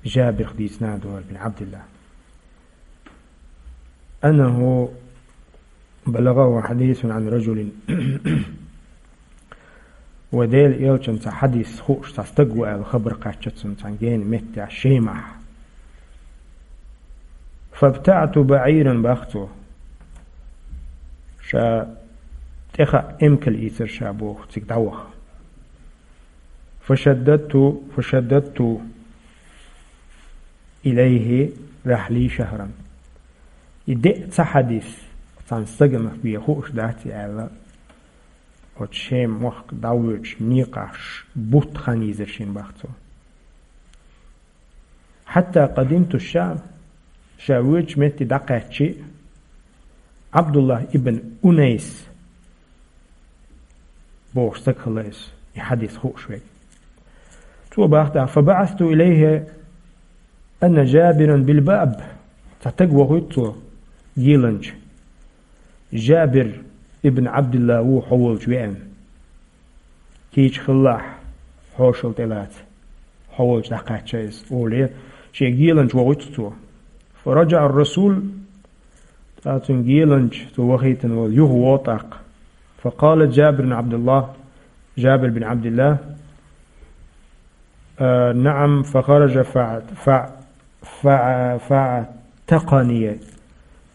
Жабирх дийцина ду хӀара бин Абдилла. أنه بلغه حديث عن رجل. Вай Делан элчанца хьадис хууш цхьа стаг ву аьлла хабар кхаьчна цунна цхьана гена меттехь Шемахь. فابتعت بعيرا бах цо. Ша тӀехаа эмкал ийцира ша боху цига дӀаваха. فشددت، فشددت إليه رحلي شهرا. И деа ца хьадис, цхьана стагана бен хууш дац и аьлла, оцу Шем мохк дӀавоьдуш некъахь бутт хан йийзира шена бах цо. حتى قدمت الشام, ша воьдучу метте дӀакхаьччи, Абдуллах ибн Унайс бохуш стаг хилла иза, и хьадис хууш верг. Цо бах тӀаккха: فبعثت إليه أن جابرا بالباب. Цхьа стаг вохуьйту цо, геланча. Жабир ибн Абдилла ву хьо волчу веана. Кийча хилалахь, хьошалла тӀелаца, хьо волчу дӀакхаьчча иза, олий, шен геланча вохуьйту цо. فرجع الرسول, ткъа цуьнан геланча, цо вахийтина волу, юха вогӀу тӀаккха. فقال جابر بن عبد الله, Жабир бин Абдилла, а, نعم، فخرج فع-, فع-, فع-, فاعتقني.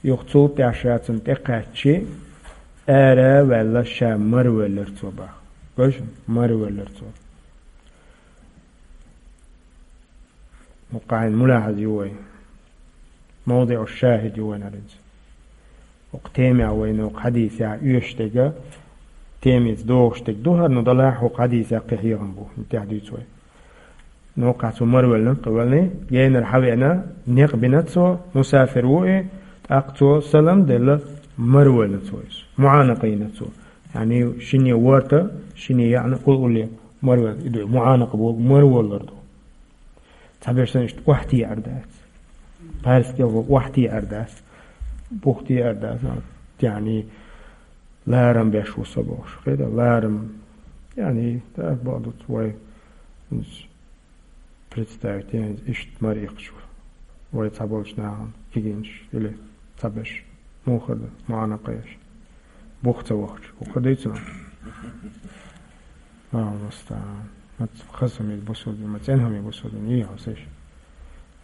Юха цул тӀаьхьа ша цунна тӀекхаьччи, ара а ваьлла, ша мара веллара цо бах. Гой шуна, мара веллара цо. ХӀокху хьайн мулахьаз ю вай. МовдиӀу шахид ю вайн хӀара иза. ХӀокху темехь вайна хӀокху хьадисехь оьшуш дерг, темица догӀуш дерг ду хӀара, ну далахь хӀокху хьадисехь кхин хьехам бу, тӀаьхьа дуьйцу вай. Ну кхаьчча цо мара веллина, кхин веллина, генара хьан веана, некъ бина цо, мусафир ву и, тӀаккха цо салам делла, мара веллина цо иза. МуӀанакъа йина цо. Яъни шинне ворта, шинне яъна, улле мара велла. И ду, муӀанакъа бохург мара веллар ду. Цхьаберш санна иштта охьатеӀар дац. Пхьаьрсиг ву охьатеӀар дац. БухтеӀар дац. Яъни ларам беш ву со бохуш. Кхета ларам. Яъни, да, бакъ ду вай представить, яъни, иштта мара иккхаш ву. Вай цхьаболчу нахана кегийнаш или цхьаберш. Муха ду, муӀанакъа еш. Бух ца вахча. ХӀокху дуьйцу нах. Аллаху мустаӀан. Ма хаза хӀума ю бусулба дин, ма цӀена хӀума ю бусулба дин, йий хьо сеш.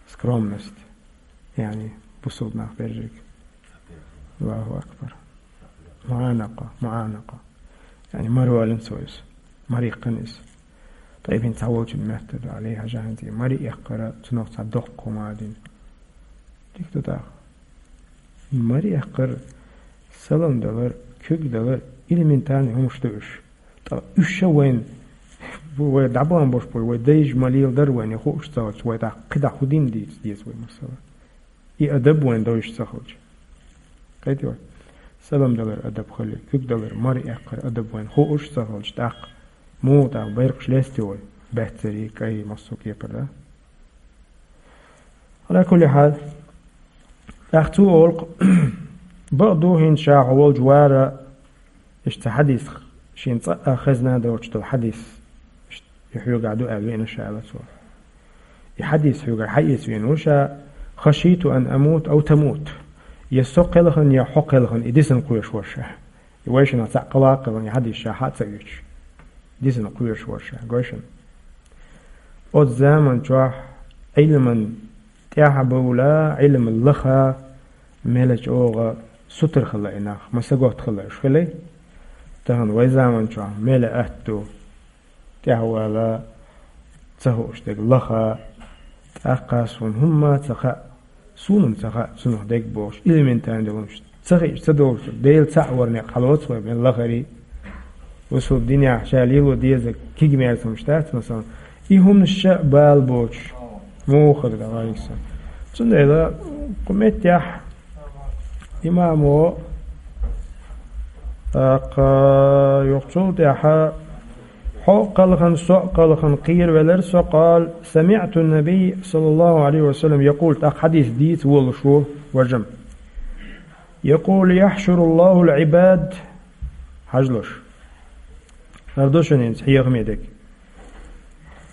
Скромность. Яъни, бусулба нах бержик. Аллаху акбар. МуӀанакъа, муӀанакъа. Яъни, мара валина цо иза. Мара иккхина иза. Тайпин цхьа волчун метта ду, Ӏали хьажа хӀанз, мара эккхар, цунах цхьа доккха хӀума дина. Дика ду тӀаккха. Мара эккхар, салам далар, куьг далар, элементарный хӀумаш ду уьш. ТӀаккха уьш ша вайна, вай дӀабахьан бош бой, вай дайша ма леладар вайна, хууш ца хилча, вай тӀаккха кхидӀа хӀу дин дийца деза вай, масала. И адаб вайна дойша ца хилча. Кхетий вай? Салам далар адаб хилар, куьг далар, мара эккхар адаб вайна хууш ца хилча, тӀаккха муха тӀаккха байракхаш лестий вай? Баьццарий, кӀай, массо а кепара, да? Ала кулли хьал. ТӀаккха цо олу-кх, бакъду хӀинца ша хьо волчу вара, иштта цхьа хьадис, шена цкъа а хезна доцуш долу хьадис, иштта и хьоьгахь ду аьлла веана ша, аьлла цо. И хьадис хьоьгара хьаэца веана ву ша: «Хашиту ан амут ау тамут». Я со кхелхина, я хьо кхелхина, и дисина кхоьруш вара ша. И вайшиннах цхьаъ кхелхина, и хьадис ша хьа а ца оьцуш. Дисина кхоьруш вара ша, гой шуна. Оцу заман чохь Ӏилман тӀаьхьа а бовла, Ӏилма лаха, мела чӀогӀа сутара хилла и нах, ма саготта хилла уьш хилий. Тахана вай заман чохь мела атта ду, тӀаьхьа вала, ца хууш дерг лаха, тӀаккха суна хӀумма а ца хаьа, суна-м ца хаьа цунах дерг бохуш, элементарный долуш, ца хиъча ца долуш, Дела цхьаъ вара некъ хьалоцу вай бен лахарий. Бусулба динехь ша лело деза кегий мерза хӀумаш дац, масала, и хӀуманаш ша а бала боцуш, муха хир ду, валейкум салам. Цундела кху меттехь имамо, тӀаккха юха цул тӀаьхьа хьо а кхелхина, со а кхелхина кхеравелира со, къала: «Самиъту ннабий, саллаллаху Ӏалайхи ва саллам, якъул», тӀаккха хьадис дийца волуш ву важа-м. «Якъул: яхьшуруллахул Ӏибад». Хьажалаш. ХӀара ду шуна хӀинца хьехаме дерг.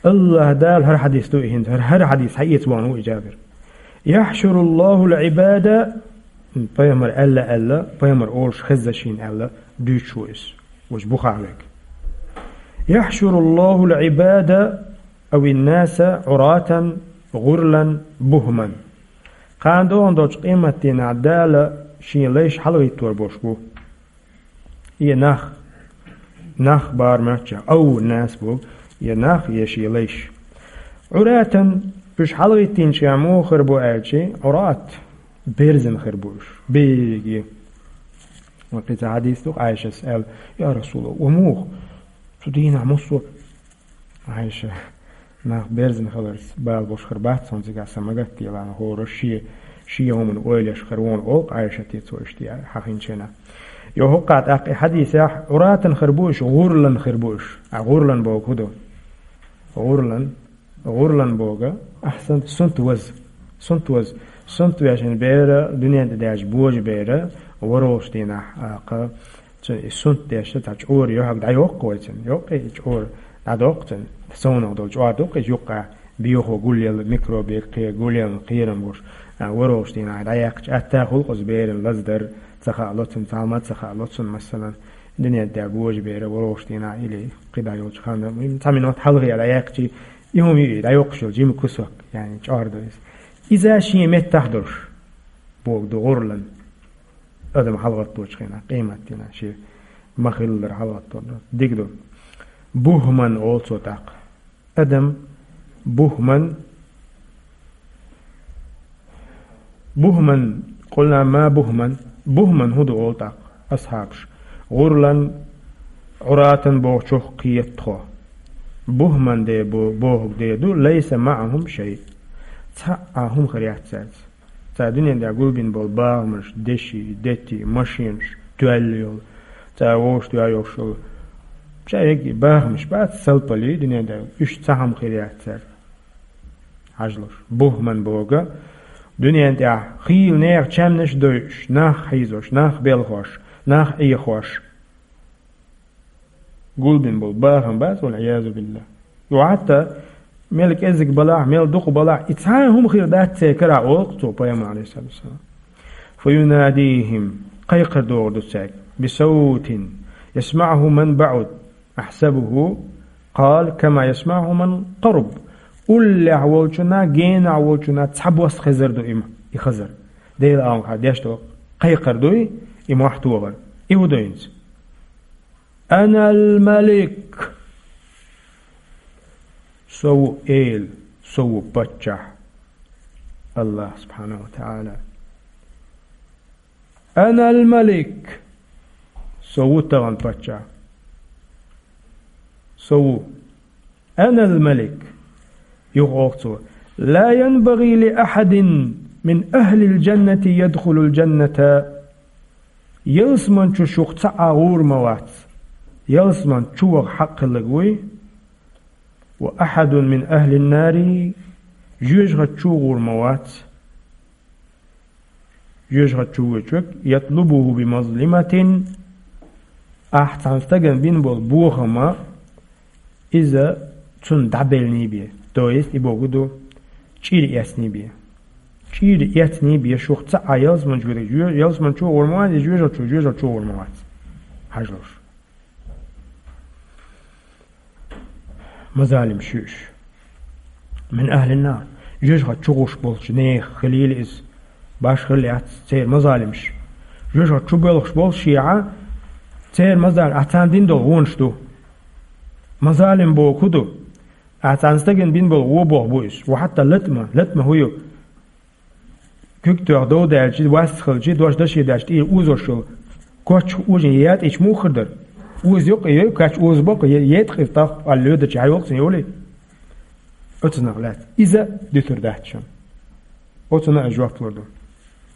АллахӀ Дала, хӀара хьадис ду и хӀинца, хӀара, хӀара хьадис хьаэца вахана ву и Джабир. «Яхьшуруллахул Ӏибада», пайхамар аьлла, аьлла, пайхамар олуш хезна шена аьлла, дуьйцуш ву иза. Вуьш Бухариг. «Яхьшуруллахул Ӏибада авин-наса Ӏуратан, гӀурлан, бухман». Кхана догӀун долчу къематдийнахь Дала шен лайш хьалагӀиттор болуш бу. Я нах, нах бара моьтту, ау нас бу, я нах, я шен лайш. Ӏуратан, уьш хьалагӀиттинчу муха хир бу аьлчи, Ӏурат, берзина хир бу уьш, беги. Ва кхин цхьа хьадис ду, Ӏайшас аьлла: «Я Расулаллах, ва муха? Цу дийнахь массо а». Ӏайша: «Нах берзина хиларца бала болуш хир бац хьуна цигахь, сан ма гатделахь, хӀора шен, шен хӀуманна ойла еш хир ву хьуна», олу-кх Ӏайшате, цо иштта хьахийначу хенахь. Йо, хӀокху тӀаккха и хьадисехь, Ӏуратан хир бу уьш, гӀурлан хир бу уьш. А гӀурлан бохург хӀун ду? ГӀурлан, гӀурлан бохург, ахьсант, сунт ваза. Сунт ваза. Сунт вешан бер, дуьнен тӀе даьлча божа бер, ворхӀалгӀачу дийнахь, а, кха, цуьнан и сунт деш, цхьа чӀора юьхьиг дӀайоккху вай цуьнан. Йоккхий и чӀора дӀадоккху цуьнан. Совнах долу чӀора ду-кх иза юккъехь, бехо гулъелла, микробе кхе гулъелла кхерам гуш. А, ворхӀалгӀачу дийнахь дӀаяьккхича, атта хуьлу-кх иза беран лаздар, ца хаало цунна, цхьамма а ца хаало цунна, масалан, дуьнен тӀе божа бер ворхӀалгӀачу дийнахь или кхидӀа йолчу ханна, цхьа минот хьалхе дӀаяьккхича, и хӀума ю и дӀайоккхуш йолу жима кусок, яъни чӀора ду иза. Иза шен меттахь долуш, бохург ду гӀурлан. Адам хьалагӀатточу хенахь, къематдийнахь шен ма-хиллара хьалагӀаттор ду. Дика ду. Бухман олу цо тӀаккха. Адам бухман, бухман, къулна ма бухман, бухман хӀун ду олу тӀаккха асхьабаш. ГӀурлан, Ӏуратан бохучух кхета тхо. Бухман де бо-, бохург де ду, лайса маӀахум шай. Цхьа а хӀума хир яц цаьрца. Цара дуьнен тӀехь гулбина болу бахамаш, деши, дети, машенаш, тоьлла йолу, цара вовшахтоьхна йолуш йолу. Ша эгги бахамаш бац, салпали дуьнен тӀехь, уьш цхьа хӀума хир яц цаьрца. Хьажалаш. Бухман бохург, дуьнен тӀехь хийла нехан чаьмнаш а дойуш, нах хьийзош, нах белхош, нах Ӏехош. Гулбина болу бахам бац, валъиязу биллахӀ. Юха хӀатта мел кӀезиг балахь, мел дукха балахь, и цхьа а хӀума хир дац церан карахь, олу-кх цо, пайхамар, Ӏалайхиссалату вассалам. Фаюнадихим, кхайкхар догӀур ду цаьрга, бисавтин ясмаӀуху ман баӀуд, ахьсабуху قال كما يسمعه من قرب. Уллехь волчунна, генахь волчунна цхьа бос хезар ду и, и хазар. Дела алхьа деш ду, кхайкхар дуй, и мохь тохар. И хӀу дуйнца? أنا الملك. Со ву Эла, со ву паччахь. Аллах субхьанаху ва та'ала. أنا الملك. Со ву тахана паччахь. Со ву. أنا الملك. Юха оха цо: لا ينبغي لأحد من أهل الجنة يدخل الجنة. Ялсман чу шух цхьа а гӀур ма вац. Ялсман чу ваха хьакъ хилларг вуй. وأحد من أهل النار. Жоьжахати чу гӀур ма вац. Жоьжахати чу воьдуш верг, يطلبه بمظلمة, ахь цхьана стагана бина болу бохам а, иза цунна дӀабеллий бен. То есть, и бохург ду, чӀир эцний бен. ЧӀир эцний бен шух цхьа а ялсман чу верг, жоь-, ялсман чу гӀур ма вац, и жоьжахати чу, жоьжахати чу гӀур ма вац. Хьажалаш. Мазалимаш ю уьш. من أهل النار. Жоьжахати чу гӀуш болчу нехан хилийла иза. Башхалла яц церан мазалимаш. Жоьжахати чу боьлхуш болу шиъ а, церан мазалим, ахь царна дина долу вонаш ду. Мазалим бохург хӀу ду? Ахь царна стагана бина болу вон бохург бу иза. Ва хьатта латма, латма хӀу ю? Куьг тоьхна дов даьлча, вас хилча, дош даше даьлча, тӀера озош йолу коч ожин ятӀича муха хир дара? Оза йоккха йой, кач оза боккха, е-, етӀа иза тӀаккха, аьлла лоьдача, хьайолу цунна йолий? Оцунах лаьцна. Иза дуьтур дац шуна. Оцунна аш жоп лур ду.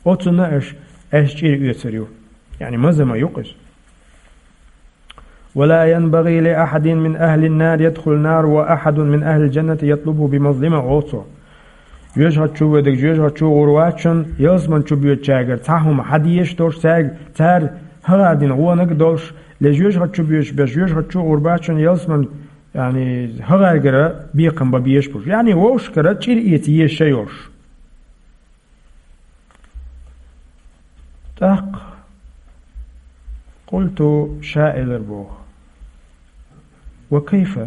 Оцунна аш, аш чӀир оьцур ю. Яъни маза ма ю иза. ولا ينبغي لأحد من أهل النار يدخل النار وأحد من أهل الجنة يطلبه بمظلمة, олу цо. Жоьжахати чу воьдург жоьжахати чу гӀур вац шуна, ялсман чу боьдучаьргара цхьа хӀума хьан дезаш долуш цаьрга, цара хӀара дина гӀонаг а долуш, ле жоьжахати чу боьдуш берш жоьжахати чу гӀур бац шуна, ялсман, яъни, хӀаргара бекхам бан безаш берш. Яъни, вовшахкара чӀир эца езаш а йолуш. ТӀаккха, قلت, ша элира боху: وكيف,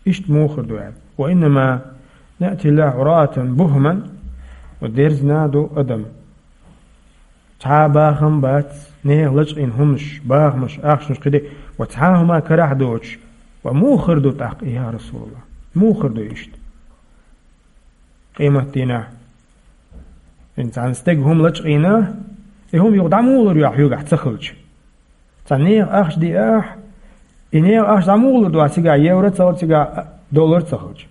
иштта муха хир ду аьлла? وإنما نأتي الله عراة بهما, ва дерзина ду адам. Цхьа а бахам бац, нехан лачкъийна хӀуманаш, бахамаш, ахчанаш кхидӀа, ва цхьа а хӀума карахь доцуш, ва муха хир ду тӀаккха и, я Расулаллах? Муха хир ду иштта? Къематдийнахь. ХӀинца цхьана стеган хӀума лачкъийна, и хӀума юха дӀа муха лур ю ахь хьоьгахь ца хилча? Цхьа нехан ахча диахь, и нехан ахча дӀа муха лур ду ахь цигахь, евро ца хилча, цигахь доллар ца хилча?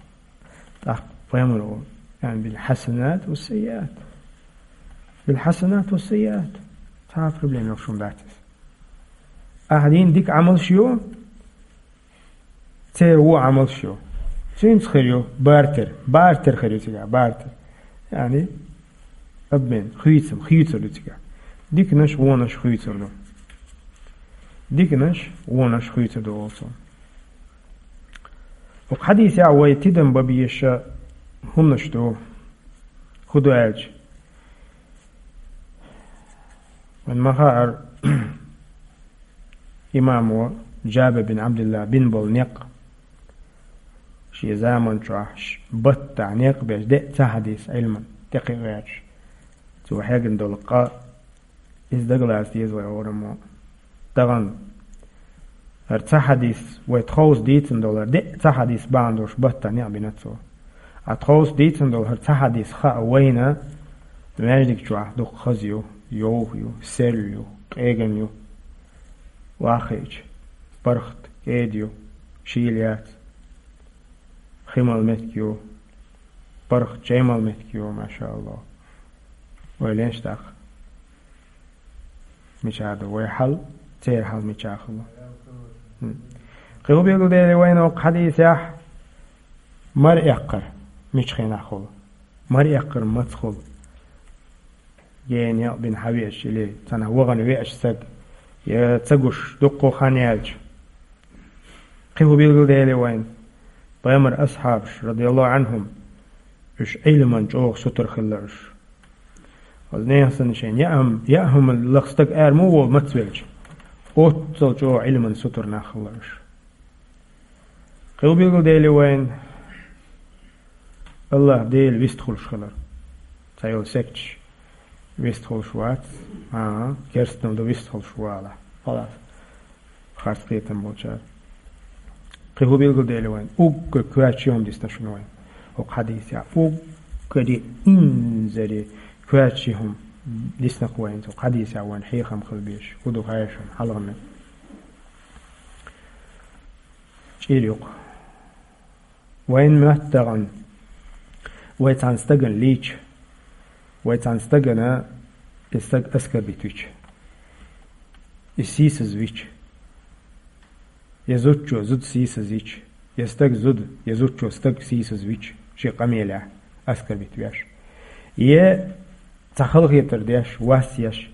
ТӀаккха пайхамаро: يعني بالحسنات والسيئات. بالحسنات والسيئات. Цхьа а проблема йолуш хӀума дац иза. Ахь дина дика Ӏамалш ю, церан вон Ӏамалш ю. Цуьнца хир ю бартер. Бартер хир ю цигахь, бартер. Яъни, обмен, хуьйцам, хуьйцур ду цигахь. Диканаш, вонаш хуьйцур ду. Диканаш, вонаш хуьйцур ду, олу цо. ХӀокху хьадисехь вай тидам бан безаш хӀуманаш ду. ХӀун ду аьлча, вайн ма хаара, имамо Джабир бин Абдулла бина болу некъ, шен заман чохь ш-, баттахь некъ беш, деа ца хьадийса Ӏилман тӀекхиа гӀерташ, цо хьегна долу къа, иза дагалаца деза вай, хӀораммо. Тахана хӀара ца хьадийса, вай тховса дийцина долу хӀара деа ца хьадийса бахьана долуш баттахь некъ бина цо. Ткъа тховса дийцина долу хӀара ца хьадийса хаа вайна, маьждиг чохь дукха хаза ю, йовха ю, серла ю, къеган ю. Вахийча, паргӀат кӀеда ю, шийла яц. Хи мала меттиг ю, паргӀат чай мала меттиг ю, машааллахӀ. Вай леш тӀаккха. Мичахь ду вай хьал, церан хьал мичахь хуьлу? ХӀм. Кхин хӀун билгалдели вайна хӀокху хьадисехь? Мара эккхар мича хенахь хуьлу? Мара эккхар маца хуьлу? Гена некъ бина хьан веача или цхьанхьа вахана веача стаг, я ца гуш дуккха хан яьлча. Кхин хӀун билгалдели вайна? Пайхамар асхьабаш, радияллаху Ӏанхум, уьш Ӏилман чӀогӀа сутара хилла уьш. Оцу нехан санна шайна яа хӀума, яа хӀума лаха стаг ара муха волу мацвелча? Оццал чӀогӀа Ӏилман сутара нах хилла уьш. Кхин билгалдели вайн, АллахӀ Дела вистхуьлуш хилар. Цхьайолу секташ вистхуьлуш вац, а, керстанал ду вистхуьлуш вала. Халас. Харц кхетам болчара. Кхин хӀун билгалдели вайн? Уггар коьртачу хӀума дисна шуна вайн. ХӀокху хьадисехь уггаре инзаре коьртачу хӀума дисна вайн. ХӀокху хьадисехь вайн хьехам хила безаш. ХӀун ду хаьий шуна хьалхарниг? ЧӀир юкъа. Вайн моьтту тахана, вай цхьана стагана лийча, вай цхьана стагана и стаг аскарбитича, и сийсазвича, я зудчо зуда сийсазвича, я стаг зуда, я зудчо стаг сийсазвича, шен къамелехь аскарбитавеш. Я цхьа халахетар деш, вас еш,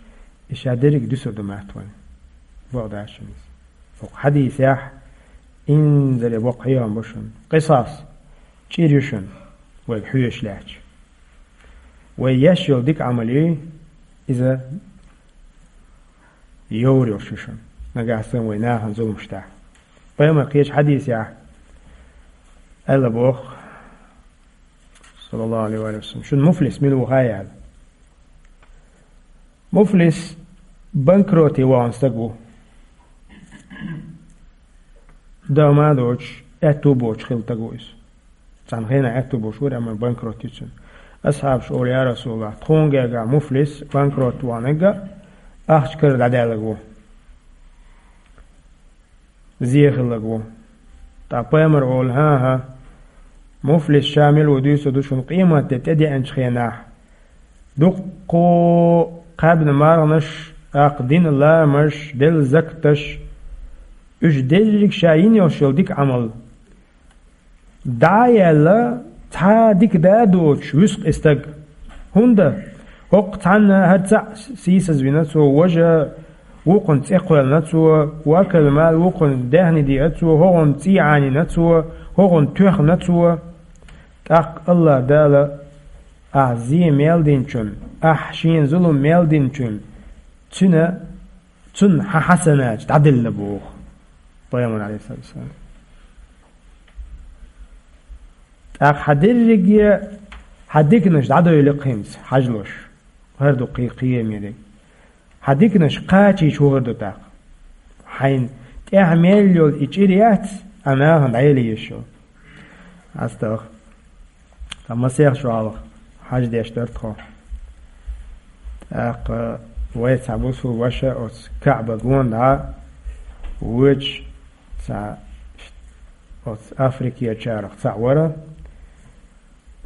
и ша дерриг дуьсур ду моьтту вайн. Бакъдерг ду иза. ХӀокху хьадисехь инзаре боккха хьехам бу шуна. Къисас, чӀир ю шуна, вайга хьоьжуш лаьтташ. Вай еш йолу дика Ӏамал ю, иза йовр йолуш ю шуна. Нагахь санна вай нахана зуламаш дахь. Пайхамар кхечу хьадисехь аьлла боху, саллаллаху алейхи ва саллям, шуна муфлис мила ву хаьий аьлла. Муфлис банкроте вахана стаг ву. Дан ма доцуш, аьтту боцуш хилла стаг ву иза. Цхьана хенахь аьтту боцуш вара, амма банкрот ю цуьнан. Асхьабаша олу: «Я Расулаллах, тхуна гергахь муфлис, банкрот ваханиг а ахча кара дӀадаьлларг ву». Зе хилларг ву. Ткъа пайхамар олу: «ХӀан-хӀа, муфлис ша мила ву дуьйцур ду шуна къематде тӀедеанчу хенахь. Дуккха кхаьбна марханаш, тӀаккха дина ламазаш, делла закаташ, уьш дерриг ша йина йолуш йолу дика Ӏамал дӀа а яьлла, цхьа а дика да а доцуш, вуьсу-кх и стаг. ХӀунда? ХӀокху цхьанна хӀара цхьаъ сийсазвина цо, важа вукхунна цӀе кхоьллина цо, вакал мал вукхунна даьхни деа цо, хӀокхунна цӀий Ӏанийна цо, хӀокхунна тоьхна цо. ТӀаккха АллахӀ Дала ахь зе мел динчунна, ахь шена зулам мел динчунна, цуьнан, цунна хьан хьасанаташ дӀаделла», – боху пайхамар, алейхиссалату вассалам. ТӀаккха хьан дерриге хьан диканаш дӀадойла-кх хӀинца, хьажалуш. ХӀара ду кхин кхиамериг. Хьан диканаш кхачийча хӀун хир ду тӀаккха? Хьайна тӀехь мел йолу и чӀир яц, а нахана дӀаяла езаш йолу. АстагӀ. Ткъа масех шо хьалха хьаж деш дара тхо. ТӀаккха вай цхьа бусул ваша оцу Каъба гонахь вочу цхьа оцу Африкерчарах цхьаъ вара.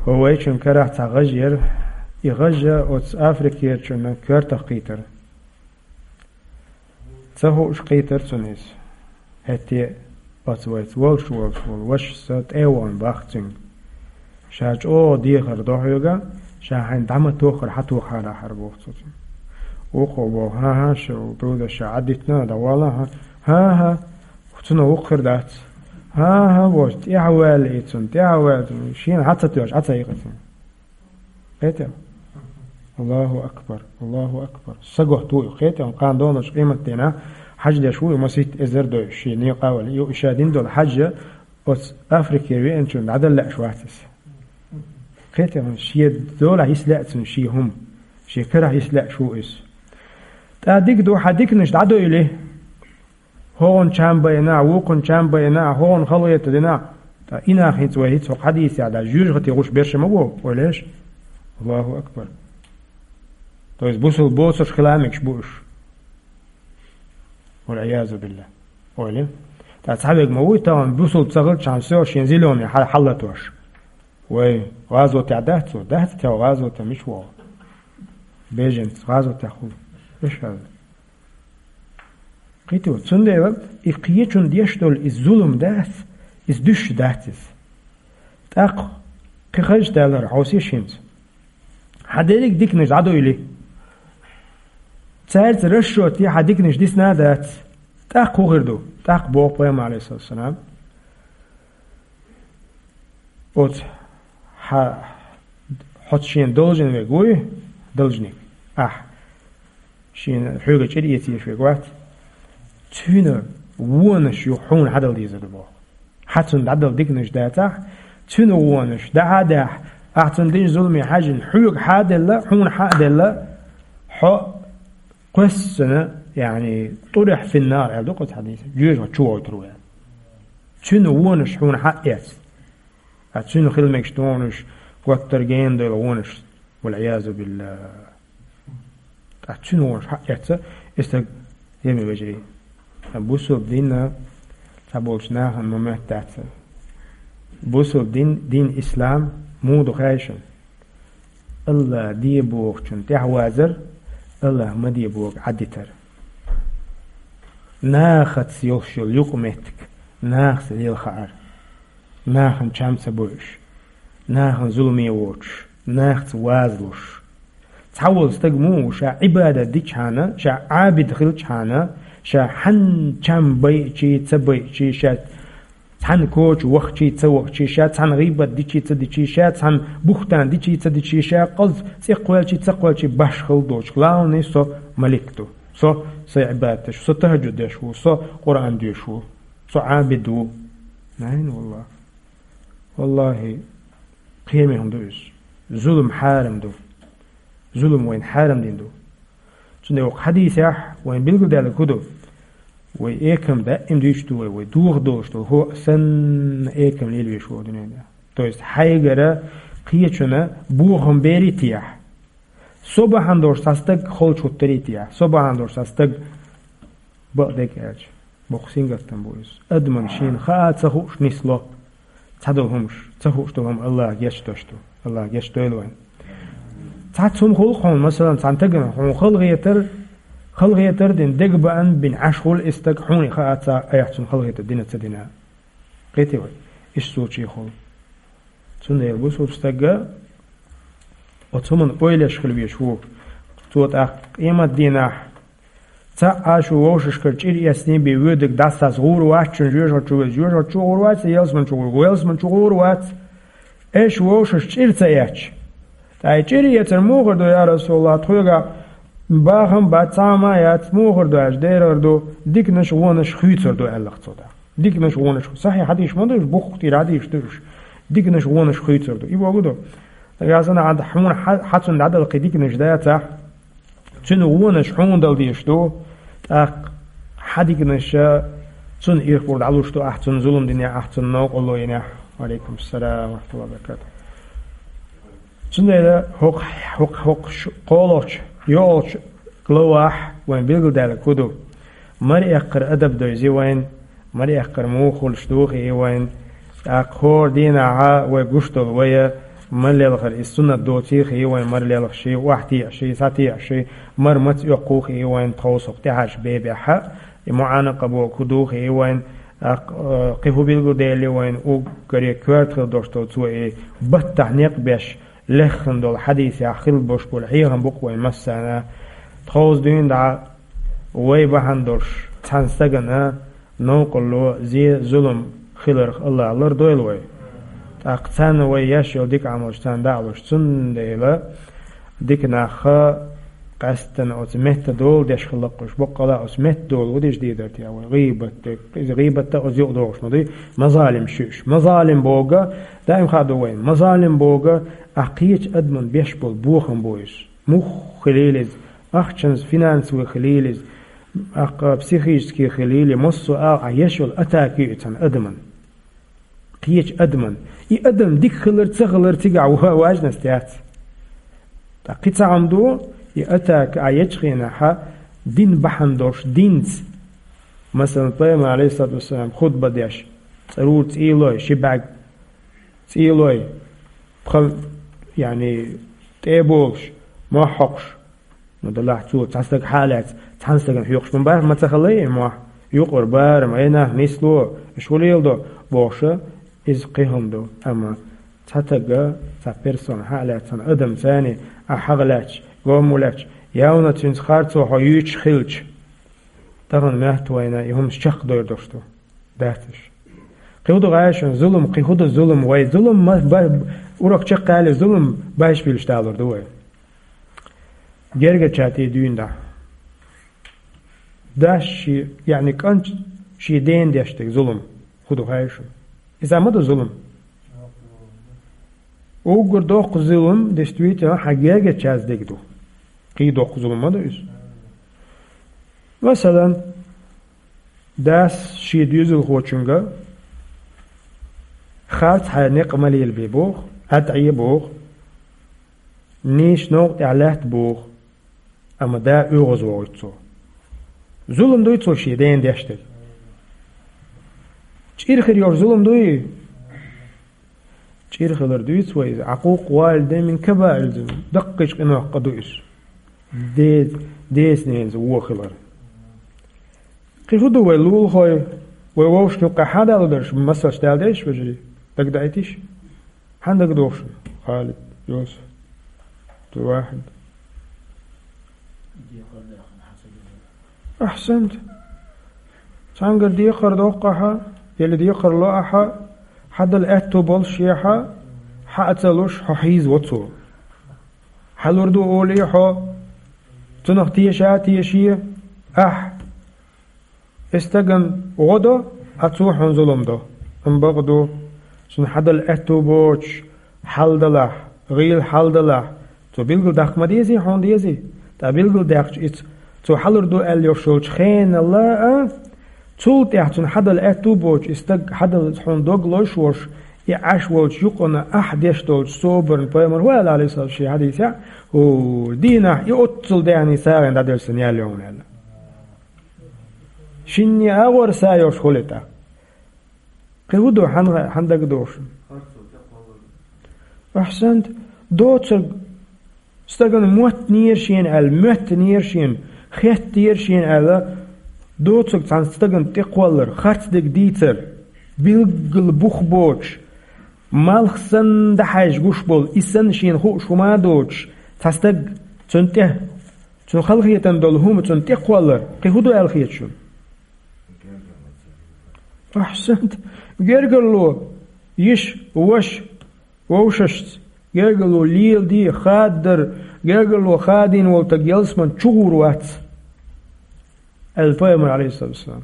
ХӀо вайчун карахь цхьа гӀаж яра. И гӀажа оцу Африкерчунна коьртах кхийтара. Ца хууш кхийтара цунна иза. ХӀетте а оцу вайца волуш волуш волу вашас тӀе а вахана боху цуьнга: «Ша чӀогӀа дехар до хьоьга, ша хьайна дӀа ма тоххара, хьан тоххара хьара», – боху цо цуьнга. Вукхо боху: «ХӀан-хӀа, шу дуда ша Ӏадитина, дӀавала, хӀан-хӀа, цунах вукху хир дац». «ХӀан-хӀа», – боху, тӀаьхьа ваьлла и цунна, тӀаьхьа ваьлла, шена хьан ца тоьшу, Ӏа ца йикъи цуьнга. Кхетий? Аллаху акбар, Аллаху акбар. Саготта ву и, кхетий, кхана долуш къематдийнахь хьаж деш ву и масийтта эзар дойуш, шен некъа а валий. Ю, ша дина долу хьаж оцу Африкера веанчунна дӀадала лаьаш вац иза. Кхетий, шен долахь йиса лаьа цунна шен хӀума, шен карахь йиса лаьаш ву иза. ТӀа дика ду, хьан диканаш дӀадойла. ХӀокхунна чам байина, вукхунна чам байина, хӀокхунна халахета дина. Ткъа и нах хӀинца вай хӀинца хӀокху хьадисехь дӀа жоьжахате гӀуш берш ма бу, ойла еш. Аллаху акбар. То есть бусул боцурш хила мегаш бу уьш. Валь-Ӏиязу биллахӀ. Ойла. Ткъа цхьаверг ма вуй тахана бусул ца хилчхьана, всё, шен зеленый хьал-, хьаллатош. Вай, гӀазотехь дац цо? Дац, тӀе гӀазотехь мича вогӀу? Беженец гӀазотехь хуьлу. Эш хьаза. Кхетий, цундела и кхечунна деш долу иза зулам дац, иза дуьсуш дац иза. ТӀаккха кхин хазачу далара хьовсийша хӀинца. Хьан дерриг диканаш дӀадойла. Цаьрца расчёте хьан диканаш дисна а дац. ТӀаккха хӀун хир ду? ТӀаккха боху пайхамар, алейхиссалату вассалам: «Оцу хьа-, хьоца шена должен верг вуй, должник, ахь, шена хьоьга чӀир эца езаш верг вац, цуьнан вонаш юха хьуна хьадала дезар ду», – боху. Хьа цунна дӀадала диканаш дацахь, цуьнан вонаш дахьа а даьхьа, ахь цунна дина зуламе хьаьжжина, хьоьга хьа а делла, хьуна хьа а делла, хьо кхоьссана, яъни, тӀурихь финнар аьлла ду кху хьадисехь, жоьжахати чу вовтар ву аьлла. Цуьнан вонаш хьуна хьа а эцна. Ткъа цуьнан хила мегаш вонаш, готтар гена дойла вонаш. Валъиязу биллахӀ. Ткъа цуьнан вонаш хьа а эцна, и стаг, еми вежарий. Бусалба дин цхьаболчу нахана ма моьтту дац. Бусалба дин, дин ислам, муха ду хаьий шуна? АллахӀ де бохучунна тӀаьхьавазар, АллахӀ ма де боху Ӏадитар. Нахаца йолуш йолу юкъаметтиг, нахаца лела хаар. Нахана чам ца бойуш, нахана зуламе воцуш, нахаца вазалуш. Цхьаволу стаг муха ву, ша Ӏибадат дичхьана, ша Ӏабид хилчхьана, ша хьанна чам байчий, ца байчий, ша цхьана коча вахчий, ца вахчий, ша цхьана гӀийбат дичий, ца дичий, ша цхьана бухтан дичий, ца дичий, ша къаз цӀе кхоьлличий, ца кхоьлличий, башхалла доцуш. Главный, со малик ду. Со сайн Ӏибадат деш ву, со тахӀажжуд деш ву, со Къуръан доьшуш ву, со Ӏабид ву. Найн, валлахӀ. ВаллахӀи, кхеме хӀума ду иза. Зулам хьарам ду. Зулам вайна хьарам дина ду. Цундела оцу хьадисехь вайна билгалдаьлларг хӀун ду? Вай экам даим дуьйцуш ду вай, вай дохадолуш долу хӀуъа санна экам лелавеш ву дуьненахь. То есть хьайгара кхечунна бохам берий техьа? Со бахьана долуш цхьа стаг холчу хӀуттарий техьа? Со бахьана долуш цхьа стаг бакъдерг аьлча, боккха сингаттам бу иза. Адамна шена хаа ца хууш нисло. Цхьадолу хӀумаш, ца хууш долу хӀума АллахӀа гечдеш ду. АллахӀа гечдойла вайн. Цхьацца хӀума хуьлу хьуна, масалан, цхьана стагана хьуна халахетар, халахетар дина, дегабаан бина Ӏаш хуьлу и стаг, хьуна хаа ца, айхьа цунна халахетар дина, ца дина. Кхетий вай? Иштта случай хуьлу. Цундела бусалба стага оцу хӀуманна ойла еш хила везаш ву. Цо тӀаккха къематдийнахь цхьаъ а шу вовшашкара чӀир эцний бен воьдург дӀасас гӀур вац, шуна жоьжахати чу веза, жоьжахати чу гӀур вац, ялсамани чу гӀур, ялсамани чу гӀур вац. Аша вовшашна чӀир ца эцча, ткъа и чӀир эцар муха хир ду, я РасулаллахӀ, тхоьгахь бахам бац, цхьа хӀума яц, муха хир ду аьлча, дера хир ду, диканаш, вонаш хуьйцур ду аьлла цо тӀаккха. Диканаш, вонаш, сахьихь хьадисаш ма ду уьш, бухахтира хьадисаш ду уьш. Диканаш, вонаш хуьйцур ду. И бохург ду. Нагахь санна хьан-, хьуна хьа-, хьан цунна дӀадала кхин диканаш дацахь, цуьнан вонаш хьуна дала дезаш ду, тӀаккха хьан диканаш цунна ирх бур дӀалуш ду, ахь цунна зулам динехь, ахь цунна новкъарло йинехь. Ва Ӏалайкум салам ва рахьматуллахӀи ва баракатухӀ. Цундела хӀокху, хӀокху, хӀокху ш-, кхоалгӀачу, йоьалгӀачу главахь вайн билгалдаьлларг хӀун ду? Мара эккхар адаб дойзи вайн, мара эккхар муха хуьлуш ду хии вайн, тӀаккха хӀора дийнахьа вай гуш долу вай, мара лелхар иза суннат доций хии вайн, мара лелхаший, охьатеӀаший, схьатеӀаший, мара маца оьккху хии вайн, тховса хӀокху тӀаьхьарчу бебехьа, и муӀанакъа бохург хӀун ду хии вайн, тӀаккха, э, кхин хӀун билгалдели вайн, уггаре коьрта хила долуш долу цо и баттахь некъ беш, леххана долу хьадисехь хила болуш болу хьехам бу-кх вайн массарна. Тховса дуьйна дӀа вай бахьана долуш цхьана стагана новкъарло, зе, зулам хиларх АллахӀа лардойла вай. ТӀаккха царна вай еш йолу дика Ӏамалш царна дӀа а луш, цундела дика нах къаьсттина оцу метта дола деш хилла-кх уьш. Баккъала оцу метта дола хӀун деш дийр дара те вай? ГӀийбат дерг. Иза гӀийбатта оцу юкъа догӀуш ма дуй. Мазалим шу уьш. Мазалим бохург, даим хаа ду вайн. Мазалим бохург, ахь кхечу адамна беш болу бохам бу иза. Мух хилийла иза, ахчанца, финансовый хилийла иза, ахь психический хилийла, массо а агӀор ахь еш йолу атака ю и цхьана адамна. Кхечу адамна. И адам дика хилар, ца хилар цигахь ва-, важность яц. Ткъа кхин цхьа хӀума ду, и атака ахь ечу хенахьа, дин бахьана долуш, динца. Масалан, Пайхамар, Ӏалайхиссалату вассалам, хутба деш, цӀарура цӀийлой, ши бӀаьрг цӀийлой, пхи, яъни, тӀе а болуш, мохь хьокхуш, ну, делахь цо цхьа стаг хьа а лаьцна, цхьана стагана хьоькхуш ма бара, ма ца хилла и мохь, юкъара барам, ай нах, нисло, уьш хӀун леладо, бохуш, иза кхин хӀума ду. Амма цхьа стага, цхьа персона хьа а лаьцна, адам царний, ахь хьагӀ лаьцча, гом лаьцча, явна цуьнца харцо хьо юьйцуш хилча, тахана моьтту вайна и хӀуманаш чекхдойр долуш ду. Дац уьш. Кхин хӀун ду гӀайшина зулам, кхин хӀун ду зулам? Вай зулам ма-, ба-, урок чекхъяьлла зулам байшпилаш далур ду вай. Гергарчаьрца тӀе дуьйна дӀа. Дас ши, яъни кӀант шен дена деш дерг зулам. ХӀун ду хаьий шуна? Иза ма ду зулам. Уггар доккха зулам, действительно, хьан гергарчаьрца дерг ду. Кхин доккха зулам ма ду иза. Масала, дас шен доьзалхочунга харц хьайн некъ ма лелабе боху, ӀатӀе боху, нийса новкъа тӀехь лаьтта боху, амма да оьгӀазвохуьйту цо. Зулам дуй цо шен дена деш дерг? ЧӀир хир йолуш зулам дуй? ЧӀир хилар дуьйцу вай иза, عقوق الوالدين من كبائر الذنوب, даккхийчу къинойх къа ду иза. Де-, деца-ненаца вон хилар. Кхин хӀун ду вай лулахой, вай вовшашна юккъехь хьан далур дарш, масалш дала дезаш, вежарий? Дагадаийтиш? Хьан дагадогӀуш? Халид, Йосиф, Вахид. Ахьсант. Цхьаьнгара декхар доккху ахьа, или декхар ло ахьа, хьан дала аьтту болуш ехьа, хьан а ца луш, хьо хьийзаво цо. Хьан лур ду олий хьо, цунах теша а теше ахьа. И стагана гӀо до, а цо хьуна зулам до. Амма бакъ ду, цунна хьан дала аьтту боцуш, хьал далахь, гӀийла хьал далахь, цо билггал даккха ма дезий, хьуна дезий? ТӀаккха билггал даьккхича иза, цо хьан лур ду аьлла йолуш йолчу хенал а, цул тӀаьхьа цунна хьан дала аьтту боцуш, и стаг хьан дала хьуна дог лойш волуш, и Ӏаш волчу юкъана ахь деш долчу собарна пайхамар ву аьлла, Ӏалайхиссалам, шен хьадисехь, хӀу, дийнахь и оццул даьхний сагӀина дӀаделла сан ял йовна аьлла. Шинне агӀор са йолуш хуьлу тӀаккха. Кхин хӀун ду, хьан, хьан дагадогӀуш? Ахьсант, доцург стагана моттанера шена аьлла, моьттанера шена, хеттера шена аьлла, доцург цхьана стагана тӀекхоллар, харц дерг дийцар, билггал бух боцуш, малх санна дӀахьаьжжа гуш болу, и санна шена хууш хӀума а доцуш, цхьа стаг цунна тӀе, цунна халахетам долу хӀума цунна тӀекхоллар, кхин хӀун ду аьлла хета шуна? Ахьсант, гергарло, йиша, ваша, вовшашца, гергарло леладе, хададар, гергарло хадийна волу стаг ялсаман чу гӀур вац, аьлла пайхамар, Ӏалайхиссалам.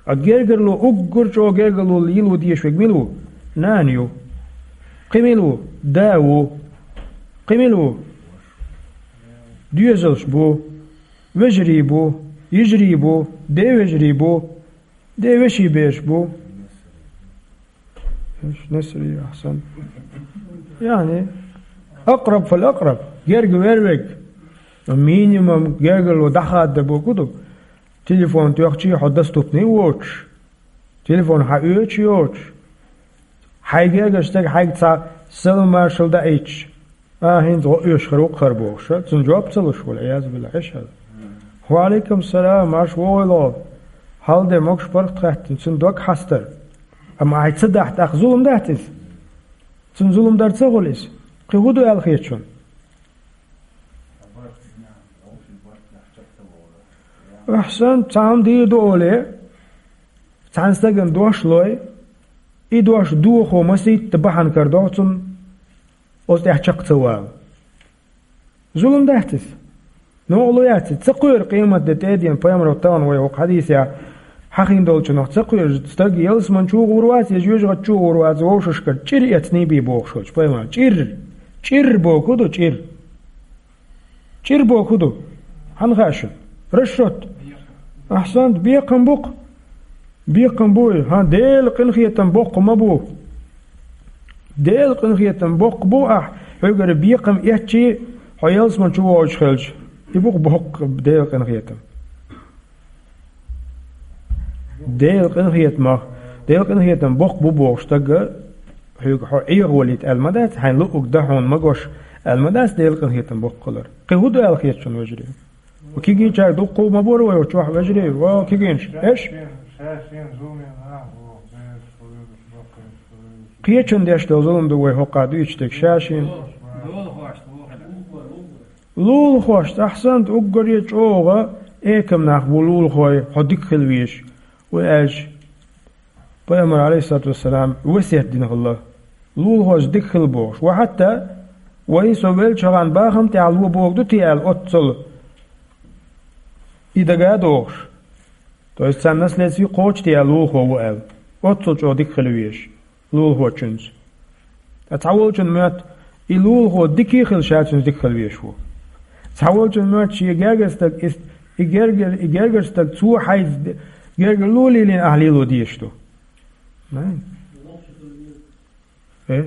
А гергарло, уггар чӀогӀа гергарло лело дезаш верг мила ву? Нана ю. Кхин мила ву? Да ву. Кхин мила ву? Доьзалш бу. Вежарий бу, йижарий бу, ден вежарий бу, ден вешин бераш бу. Эш, насрий, ахьсан. Яъни, акъраб фал-акъраб, герга вер верг. Минимум гергарло дӀахадда бохург ду. Телефон тоьхчий хьо доступный воцуш. Телефон хьан оьцуш йоцуш. Хьайн гергарчу стага хьайга цхьа салам-маршалла даийтуш. А, хӀинца гӀо оьшуш хир ву-кх хӀара бохуш, цунна жоп ца луш волу, Ӏиязу биллахӀ, эшхьа. Ва Ӏалайкум салам, марша вогӀийла гӀо. Хьал де, могуш-паргӀат хаьттина, цуьнан дог хьастар. Амма ахьа ца дахь, тӀаккха зулам дац иза? Цунна зулам дар ца хуьлу иза? Кхин хӀун ду аьлла хета шуна? Ахьсан, цхьа хӀума дийр ду олий, цхьана стагана дош лой, и дош дохо масийтта бахьана карадо цунна, оцу тӀехь чекх ца вала. Зулам дац иза? Новкъа ло яц иза? Ца кхоьру къематде тӀеден пайхамаро тахана вай хӀокху хьадисехь хьахийна долчунах ца кхоьру, стаг ялсаман чу гӀур вац, я жоьжахати чу гӀур вац, вовшашкара чӀир эцний бий бохуш волчу пайхамар. ЧӀир! ЧӀир бохург ду, чӀир! ЧӀир бохург ду. Хьанна хаьа шуна? Расчет. Ахьсант, бекхам бу-кх. Бекхам бу и. ХӀан, Делан къинхетам боккха ма бу. Делан къинхетам боккха бу ахь, хьоьгара бекхам эцчий, хьо ялсаман чу воьдуш хилча. И бу-кх боккха Делан къинхетам. Делан къинхетамах, Делан къинхетам боккха бу бохуш стаг, хьоьга хьо Ӏехавалийта аьлла ма дац, хьайн луъург дан хьуна магош аьлла ма дац Делан къинхетам боккха хилар. Кхин хӀун ду аьлла хета шуна, вежарий? Ва кегийчаьрга дуккха ма бора вай оцу чохь, вежарий, ва кегийнаш, эш? Кхечун деш долу зулам ду вай хӀокхахь дуьйцуш дерг, ша шена. Лулахошца, ахьсант, уггаре чӀогӀа экам нах бу лулахой, хьо дика хила везаш. Вай аьлча, пайхамар, Ӏалайхиссалату вассалам, весет дина хилла, лулахошца дика хила бохуш. Ва хьатта вай со веллачу хана бахам тӀехь ло бохург ду те аьлла, оццул и дага а дохуш. То есть царна наследство кхочу те аьлла, лулахо ву аьлла, оццул чӀогӀа дика хила везаш. лулахочуьнца. Ткъа цхьаволчун моьтту, и лулахо дика а хилла, ша цуьнца дика хила везаш ву. Цхьаволчун моьтту, шен гергара стаг, и, и гергара, и гергара стаг цо хьайца де-, гергара лулахь лелийна ахь лело дезаш ду. Найн? Эш?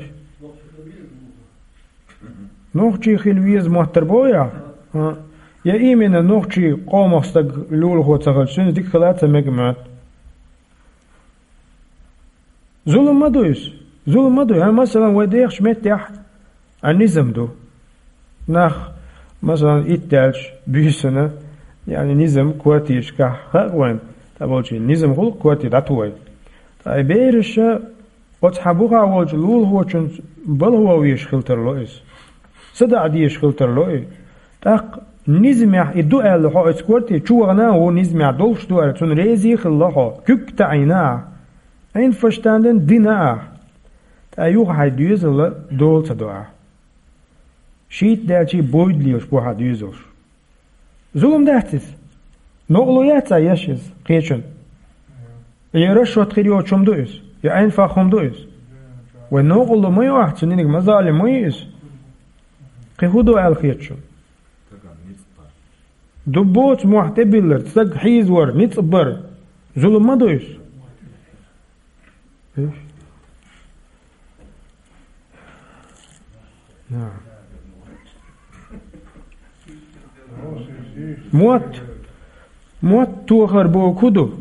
Нохчий хила веза моттар бу яхь? А. Я именно нохчий къомах стаг лулахо ца хилча, цуьнца дика хила а ца мега моьтту. Зулам ма ду иза. Зулам ма ду. ХӀа, масалан, вай дехачу меттехь, а, низам ду. Нах, масалан, итт даьлча буьйсанна, яъни низам квартирашкахь хаьа вайна, цхьаболчийн низам хуьлу квартира дӀатухуй. Ткъа и бераша оцу хьан бухахь волчу лулахочуьнца балхо везаш хила тарло иза. СадаӀа дезаш хила тарло и. ТӀаккха низамехь и ду аьлла хьо оцу квартира чу вахана а ву низамехь долуш ду аьлла, цунна реза а хилла хьо, куьг а таӀийна ахь. Ӏин фаштан дина дина ахь. Ткъа юха хьайн доьзал дола ца до ахь. Шийтта даьлчий бойда лелаш бу хьан доьзалш. Зулам дац иза? Новкъарло яц цхьа еш иза, кхечун? Я расчет хир йоцуш хӀума ду иза? Я Ӏин фах хӀума ду иза? Вай новкъарло ма ю ахь, цуьнан диниг ма залим ма ю иза. Кхин хӀун ду аьлла хета шуна? Ду боцу мохь тӀебиллар, стаг хьийзавар, ницкъ бар. Зулам ма ду иза? Мотт, мотт тохар боху хӀун ду?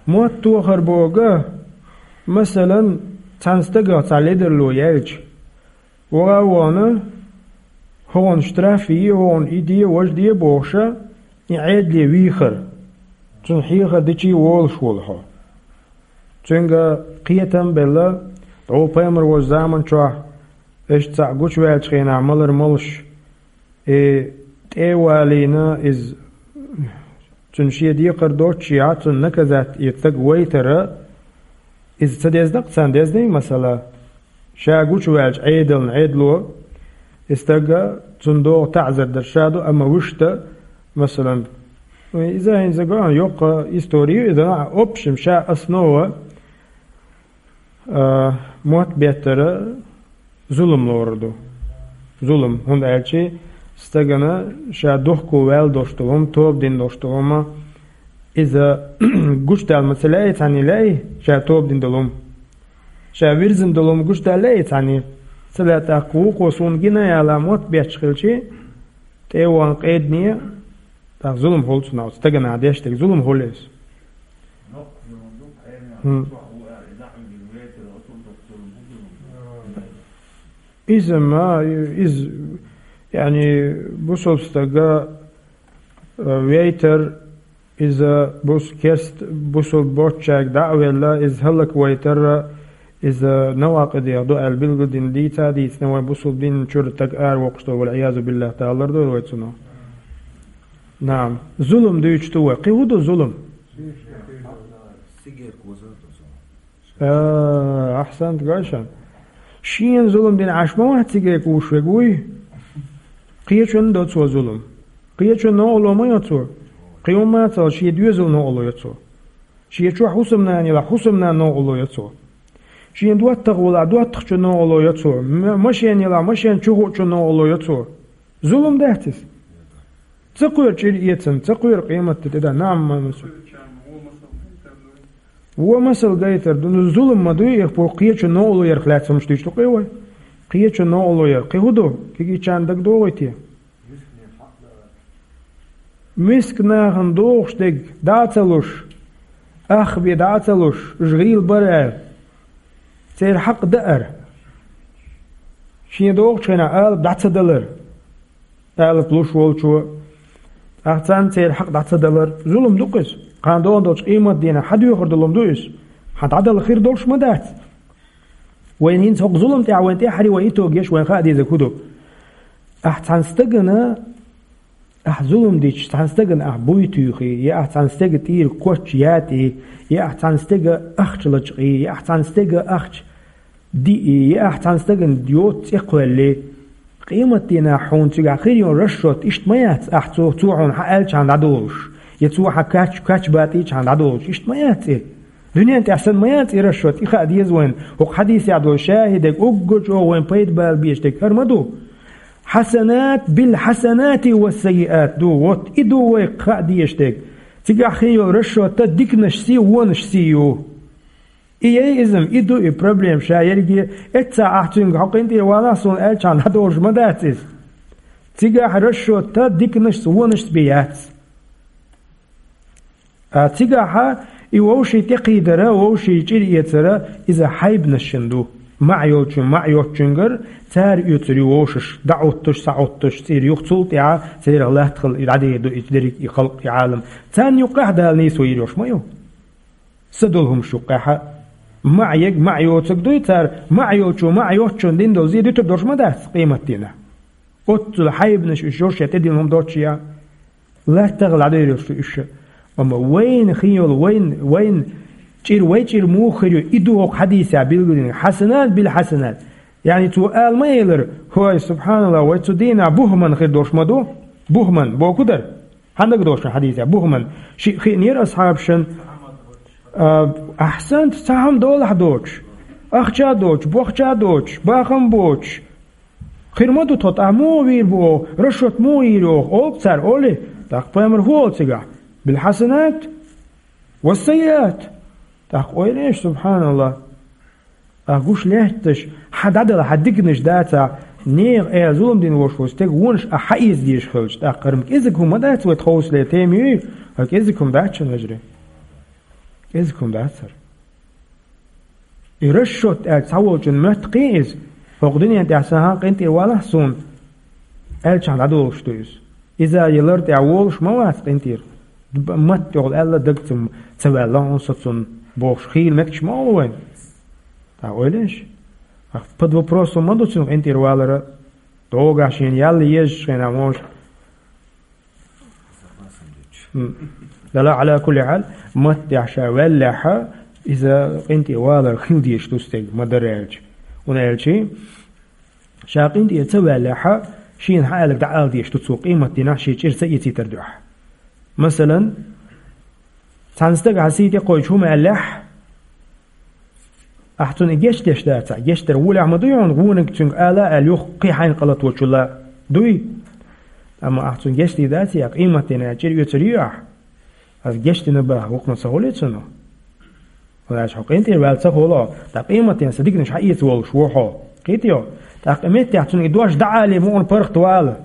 Мотт тохар боху, масалан, цхьана стагах цхьа ледарло яьлча, ваха а вахана, хӀокхунна штраф е, хӀокхунна и де, важа де бохуша, и Ӏедале вийхар. Цунна хьехар дичий волуш волу хьо. Цуьнга кхетам а белла, дӀо пайхамар волчу заман чохь, иштта цхьаъ гучуваьллачу хенахь малар молуш, и тӀе а валийна, иза цуьнан шен декхар доццушехь, цунна наказать, и стаг вайтара, иза ца дезна-кх царна, дезний, масала? Ша гучуваьлча Ӏедална, Ӏедало, и стага, цунна догӀу таӀзар дар ша ду, амма вуьшта, масалан, иза хӀинца ган йоккха истори ю, иза, а, общем, ша основа, а, мотт беттара зулам лорур ду. Зулам, хӀунда аьлча стагана ша духку ваьлла долуш долу хӀума, тоба дина долуш долу хӀума, иза гучудаьлла ма ца лаьий цхьаьнний, лаьий ша тоба дина долу хӀума? Ша вирзина долу хӀума гучудаьлла лаьий цхьаьнний? Ца лаьа. ТӀаккха вукхо суна гина яла мотт бетташ хилчий, тӀе а вахана къедане, тӀаккха зулам хуьлу цунах, стагана деш дерг зулам хуьлу иза. ХӀун. Иза ма, иза, яъни, бусалба стага, э, вейтар, иза бус-, керст-, бусалба боцчаьрга дӀа а велла, иза хӀаллаквайтар, иза навакъидех ду аьлла билгалдина дийца а дийцина, вайн бусалба динан чуьра стаг аравоккхуш долу, вал-Ӏиязу биллахӀ, Дала лардойла вай цунах. Наам, зулам дуьйцуш ду вай. Кхин хӀун ду зулам? А, ахьсант, гой шуна. Шена зулам дина Ӏаш ма вац цига кхуьуш верг, вуй? Кхечунна до цо зулам. Кхечунна новкъарло ма йо цо. Кхин хӀумма а ца, шен доьзална новкъарло йо цо. Шен чохь хӀусамнана елахь, хӀусамнанна новкъарло йо цо. Шен доттагӀа волахь, доттагӀчунна новкъарло йо цо. М-, машен елахь, машен чу хуучунна новкъарло йо цо. Зулам дац иза? Ца кхоьру чӀир эцна, ца кхоьру къематде тӀе дан, наам, ма-, ма-, Вон масал гайтар ду, ну, зулам ма дуй, их бу кхечунна новкъарло ярх лаьцна хӀумаш дуьйцуш ду-кх вай. Кхечунна новкъарло яр. Кхин хӀун ду? Кегийчарна дагадогӀуй те? Миска нахана догӀуш дерг дӀа а ца луш, ах бен дӀа а ца луш, уьш гӀийла бара аьлла, церан хьакъ даар. Шен догӀучу хенахь алапа дӀа ца далар. Алапа луш волчо, тӀаккха царна церан хьакъ дӀа ца далар, зулам ду-кх иза. Кхана догӀун долчу къематдийнахь хьан доьхур долу хӀума ду иза? Хьан дӀадала хир долуш ма дац. Вайн хӀинца хӀокху зулам тӀехь вайн тӀаьххьара вайн итог еш, вайн хаа дезарг хӀун ду? Ахь цхьана стагана, ахь зулам дича, цхьана стагана ахь буй туьйхий, я ахь цхьана стеган тӀера коч ятӀий, я ахь цхьана стеган ахча лачкъий, я ахь цхьана стеган ахча диъий, я ахь цхьана стагана йоцу цӀе кхоьллий, къематдийнахь хьуна цигахь хир йолу расчет иштта ма яц, ахь цо, цо хьуна хьан аьллачхьана дӀадолуш, я цо хьан кач-, кач батӀийчхьана дӀадолуш, иштта ма яц и? Дуьнен тӀехь санна ма яц и расчёт, и хаа деза вайна. ХӀокху хьадисехь долу шахӀидег уггар чӀогӀа вайна пайда бала безаш дерг хӀара ма ду. Хьасанат бил хьасанати ва саййиат ду. Вот и ду вай хаа дезаш дерг. Цигахь хин йолу расчёт диканашций, вонашций ю. И яй иза-м, и ду и проблема ша ерриге. Эццахь ахь цуьнга хьо къинтӀера валахь суна аьлчахьана дӀадолуш ма дац иза. Цигахь расчёт диканашца, вонашца бен яц. Ткъа цигахьа и вовшийн тӀекхийдара, вовшийн чӀир эцара, иза хьайбанашна ду. МаӀа йолчун, маӀа йоцчуьнгара цара оьцур ю вовшаш, дӀаӀуттуш, схьаӀуттуш, цӀийра юха цул тӀаьхьа церах латта хила и дӀадер ду, и дерриг и халкъ, и Ӏалам. Царна юккъехь Дала нийсо йийр йолуш ма ю. Са долу хӀумаш юккъехьа. МаӀа ерг, маӀа йоцург дуй цара, маӀа йолчо, маӀа йоцчунна дина долу зе дуьтур долуш ма дац къематдийнахь. Оццул хьайбанаш уьш йолуш я тӀедиллина хӀума доцуш я. ЛаттагӀа ладуьйр йолуш ду уьш. Амма вайна хин йолу, вайн, вайн чӀир, вай чӀир муха хир ю, и ду хӀокху хьадисехь билгалдина, хьасанат бил хьасанат. Яъни цо ала ма элира, хӀой, субхьаналлахӀ, вай цу дийнахь бухман хир долуш ма ду? Бухман, боху дара? Хьан дага долуш хьадисехь? Бухман. Шиъ хиънера асхьабашна, а, ахьсант, цхьа хӀума долахь доцуш, ахча доцуш, бохча доцуш, бахам боцуш, хир ма ду тхо, тӀаккха муха вийр бу оха, расчёт муха йийр оха, олу цара, олий? ТӀаккха пайхамар хӀун олу цигахь? Бил хьасанат ва саййиат. ТӀаккха ойла еш, субхьаналлахӀ. Ахь гуш лаьтташ, хьан дӀадала, хьан диканаш дацахь, нехан аьлла зулам дина волуш волу стеган вонаш ахь хьаэца дезаш хилча, тӀаккха хӀара-м кӀезиг хӀума ма дац вай тховсале тема юй, хӀара кӀезиг хӀума дац шуна, вежарий. КӀезиг хӀума дац хӀара. И расчёт аьлча цхьаволчун моьтту кхин иза, хӀокху дуьнен тӀехь сан хьан къинтӀера валахь суна, аьлчахь дӀадолуш ду иза. Иза ялар тӀехь волуш ма вац къинтӀера. Д-, матта тӀехула аьлла, дагца ца ваьлла хьуна со цунна бохуш, хийла меттигаш ма олу вайна. ТӀаккха ойла еш. Ах, под вопросом ма ду цуьнан къинтӀера валара, догахь шена ял езачу хенахь, может. М. Дала, Ӏала кулли хьал, маттехь ша ваьллехьа, иза къинтӀе валар хила дезаш ду стеган, ма дара аьлча. ХӀунда аьлча, ша къинтӀера ца ваьллехьа, шена хьан аьлларг дӀаала дезаш ду цо, къематдийнахь шен чӀир ца эцийтар дуьхьа. Масалан, цхьана стага хьан сий тӀе кхойчу хӀума аьллехь, ахь цунна и гечдеш дацахь, гечдар волехь ма дуй хьуна, вониг цуьнга ала а аьлла, юха кхин хьайна къа латочул а дуй? Амма ахь цунна гечдийр дацахь, къематдийнахь чӀир оьцур ю ахь? Ас гечдина баха, хӀокхунах ца хуьлий цунах? ХӀунда аьлча хьо къинтӀера ваьлла ца хуьлу, ткъа къематдийнахь сан диканаш хьаэца волуш ву хьо. Кхетий хьо? ТӀаккха и меттехь цунна и дош дӀаалий, мукъана паргӀат вала.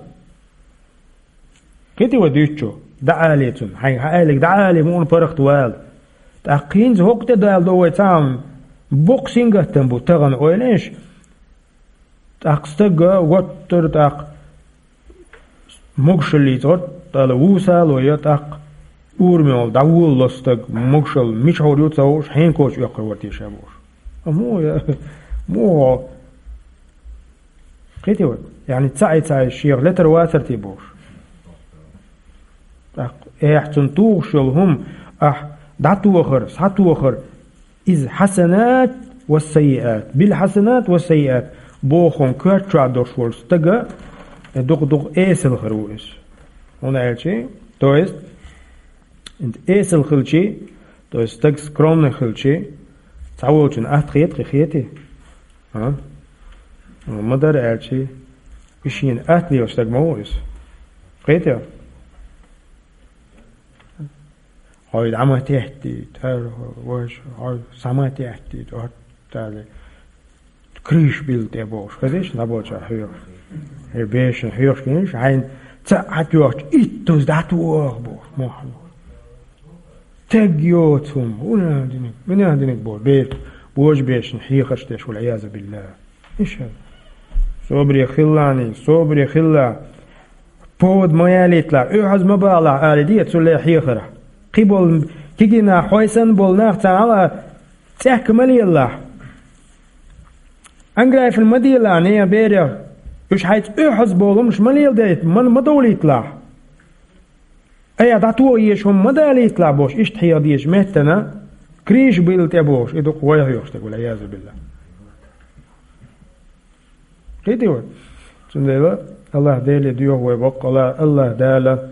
Кхетий вай дуьйцучо? ДӀаалий цунна. Хьайга хьан аьлларг дӀаалий, мукъана паргӀат вала. ТӀаккха хӀинца хӀокху тӀе даладо вай цхьа хӀума. Боккха сингаттам бу тахана, ойла еш. ТӀаккха стаг гӀоттара, тӀаккха могушаллица гӀоттала вусало я, тӀаккха урамехула дӀаволало стаг, могушалла мичахьур ю ца хууш, хьенакочу оьккхур вара те ша бохуш. Амма я, муха? Кхетий вай? Яъни цхьа а, цхьа а шех летар вацар те бохуш. ТӀаккха, эхь, цунна тухуш йолу хӀума ахь дӀатохар, схьатохар, иза хьасанат ва саййиат, бил хьасанат ва саййиат бохун коьрта чохь долуш волу стага дукха-дукха эсала хир ву иза. ХӀунда аьлча, то есть, эсала хилчий, то есть стаг скромный хилчий, цхьаволчун атта хета, кхин хетий? А? Ма дара аьлчий, и шена атта лелаш стаг ма ву иза. Кхетий? Хьой дӀа ма теттийта, хӀара важа, хьой са ма теттийта, оттале. Крыша билла тӀе бохуш, хезиш, набоча хьоьхуш. Хье бешан хьоьхуш гинаш, хьайна цхьаъ хьатоьхча, иттаза дӀатоха бохуш, мохь. Тег йоцу хӀума, хӀун диниг, мина диниг бо, бе-, божа бешан хьехарш деш, валъязу биллахӀ. Иша. Собаре хилла, собаре хилла. Повод ма ялийталахь, оьхьаз ма балахь, али де, цу ле хьехарахь. Кхин болу кегий нах, хьой санна болу нах царна ала цӀехка ма лелалахь. Анграйфна ма делахь, нехан берех. Уьш хьайца оьхьаз болу хӀумаш ма леладайта, ма, ма довлийталахь. Айхьа дӀатоха езаш хӀума ма далийталахь бохуш, иштта хьеха дезаш меттана, крыша билла тӀе бохуш, и ду-кх вай хьоьхуш стаг, валъязу биллахӀ. Кхетий вай? Цундела АллахӀ Деле доьху вай баккъала, АллахӀ Дала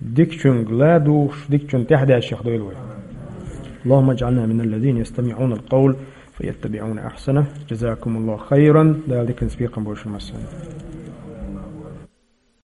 дикачуьнга ладугӀуш, дикачунна тӀаьхьадаьшшех дойла вай. اللهم اجعلنا من الذين يستمعون القول فيتبعون أحسنه. جزاكم الله خيرا. Дала диканца бекхам болба шун массанена.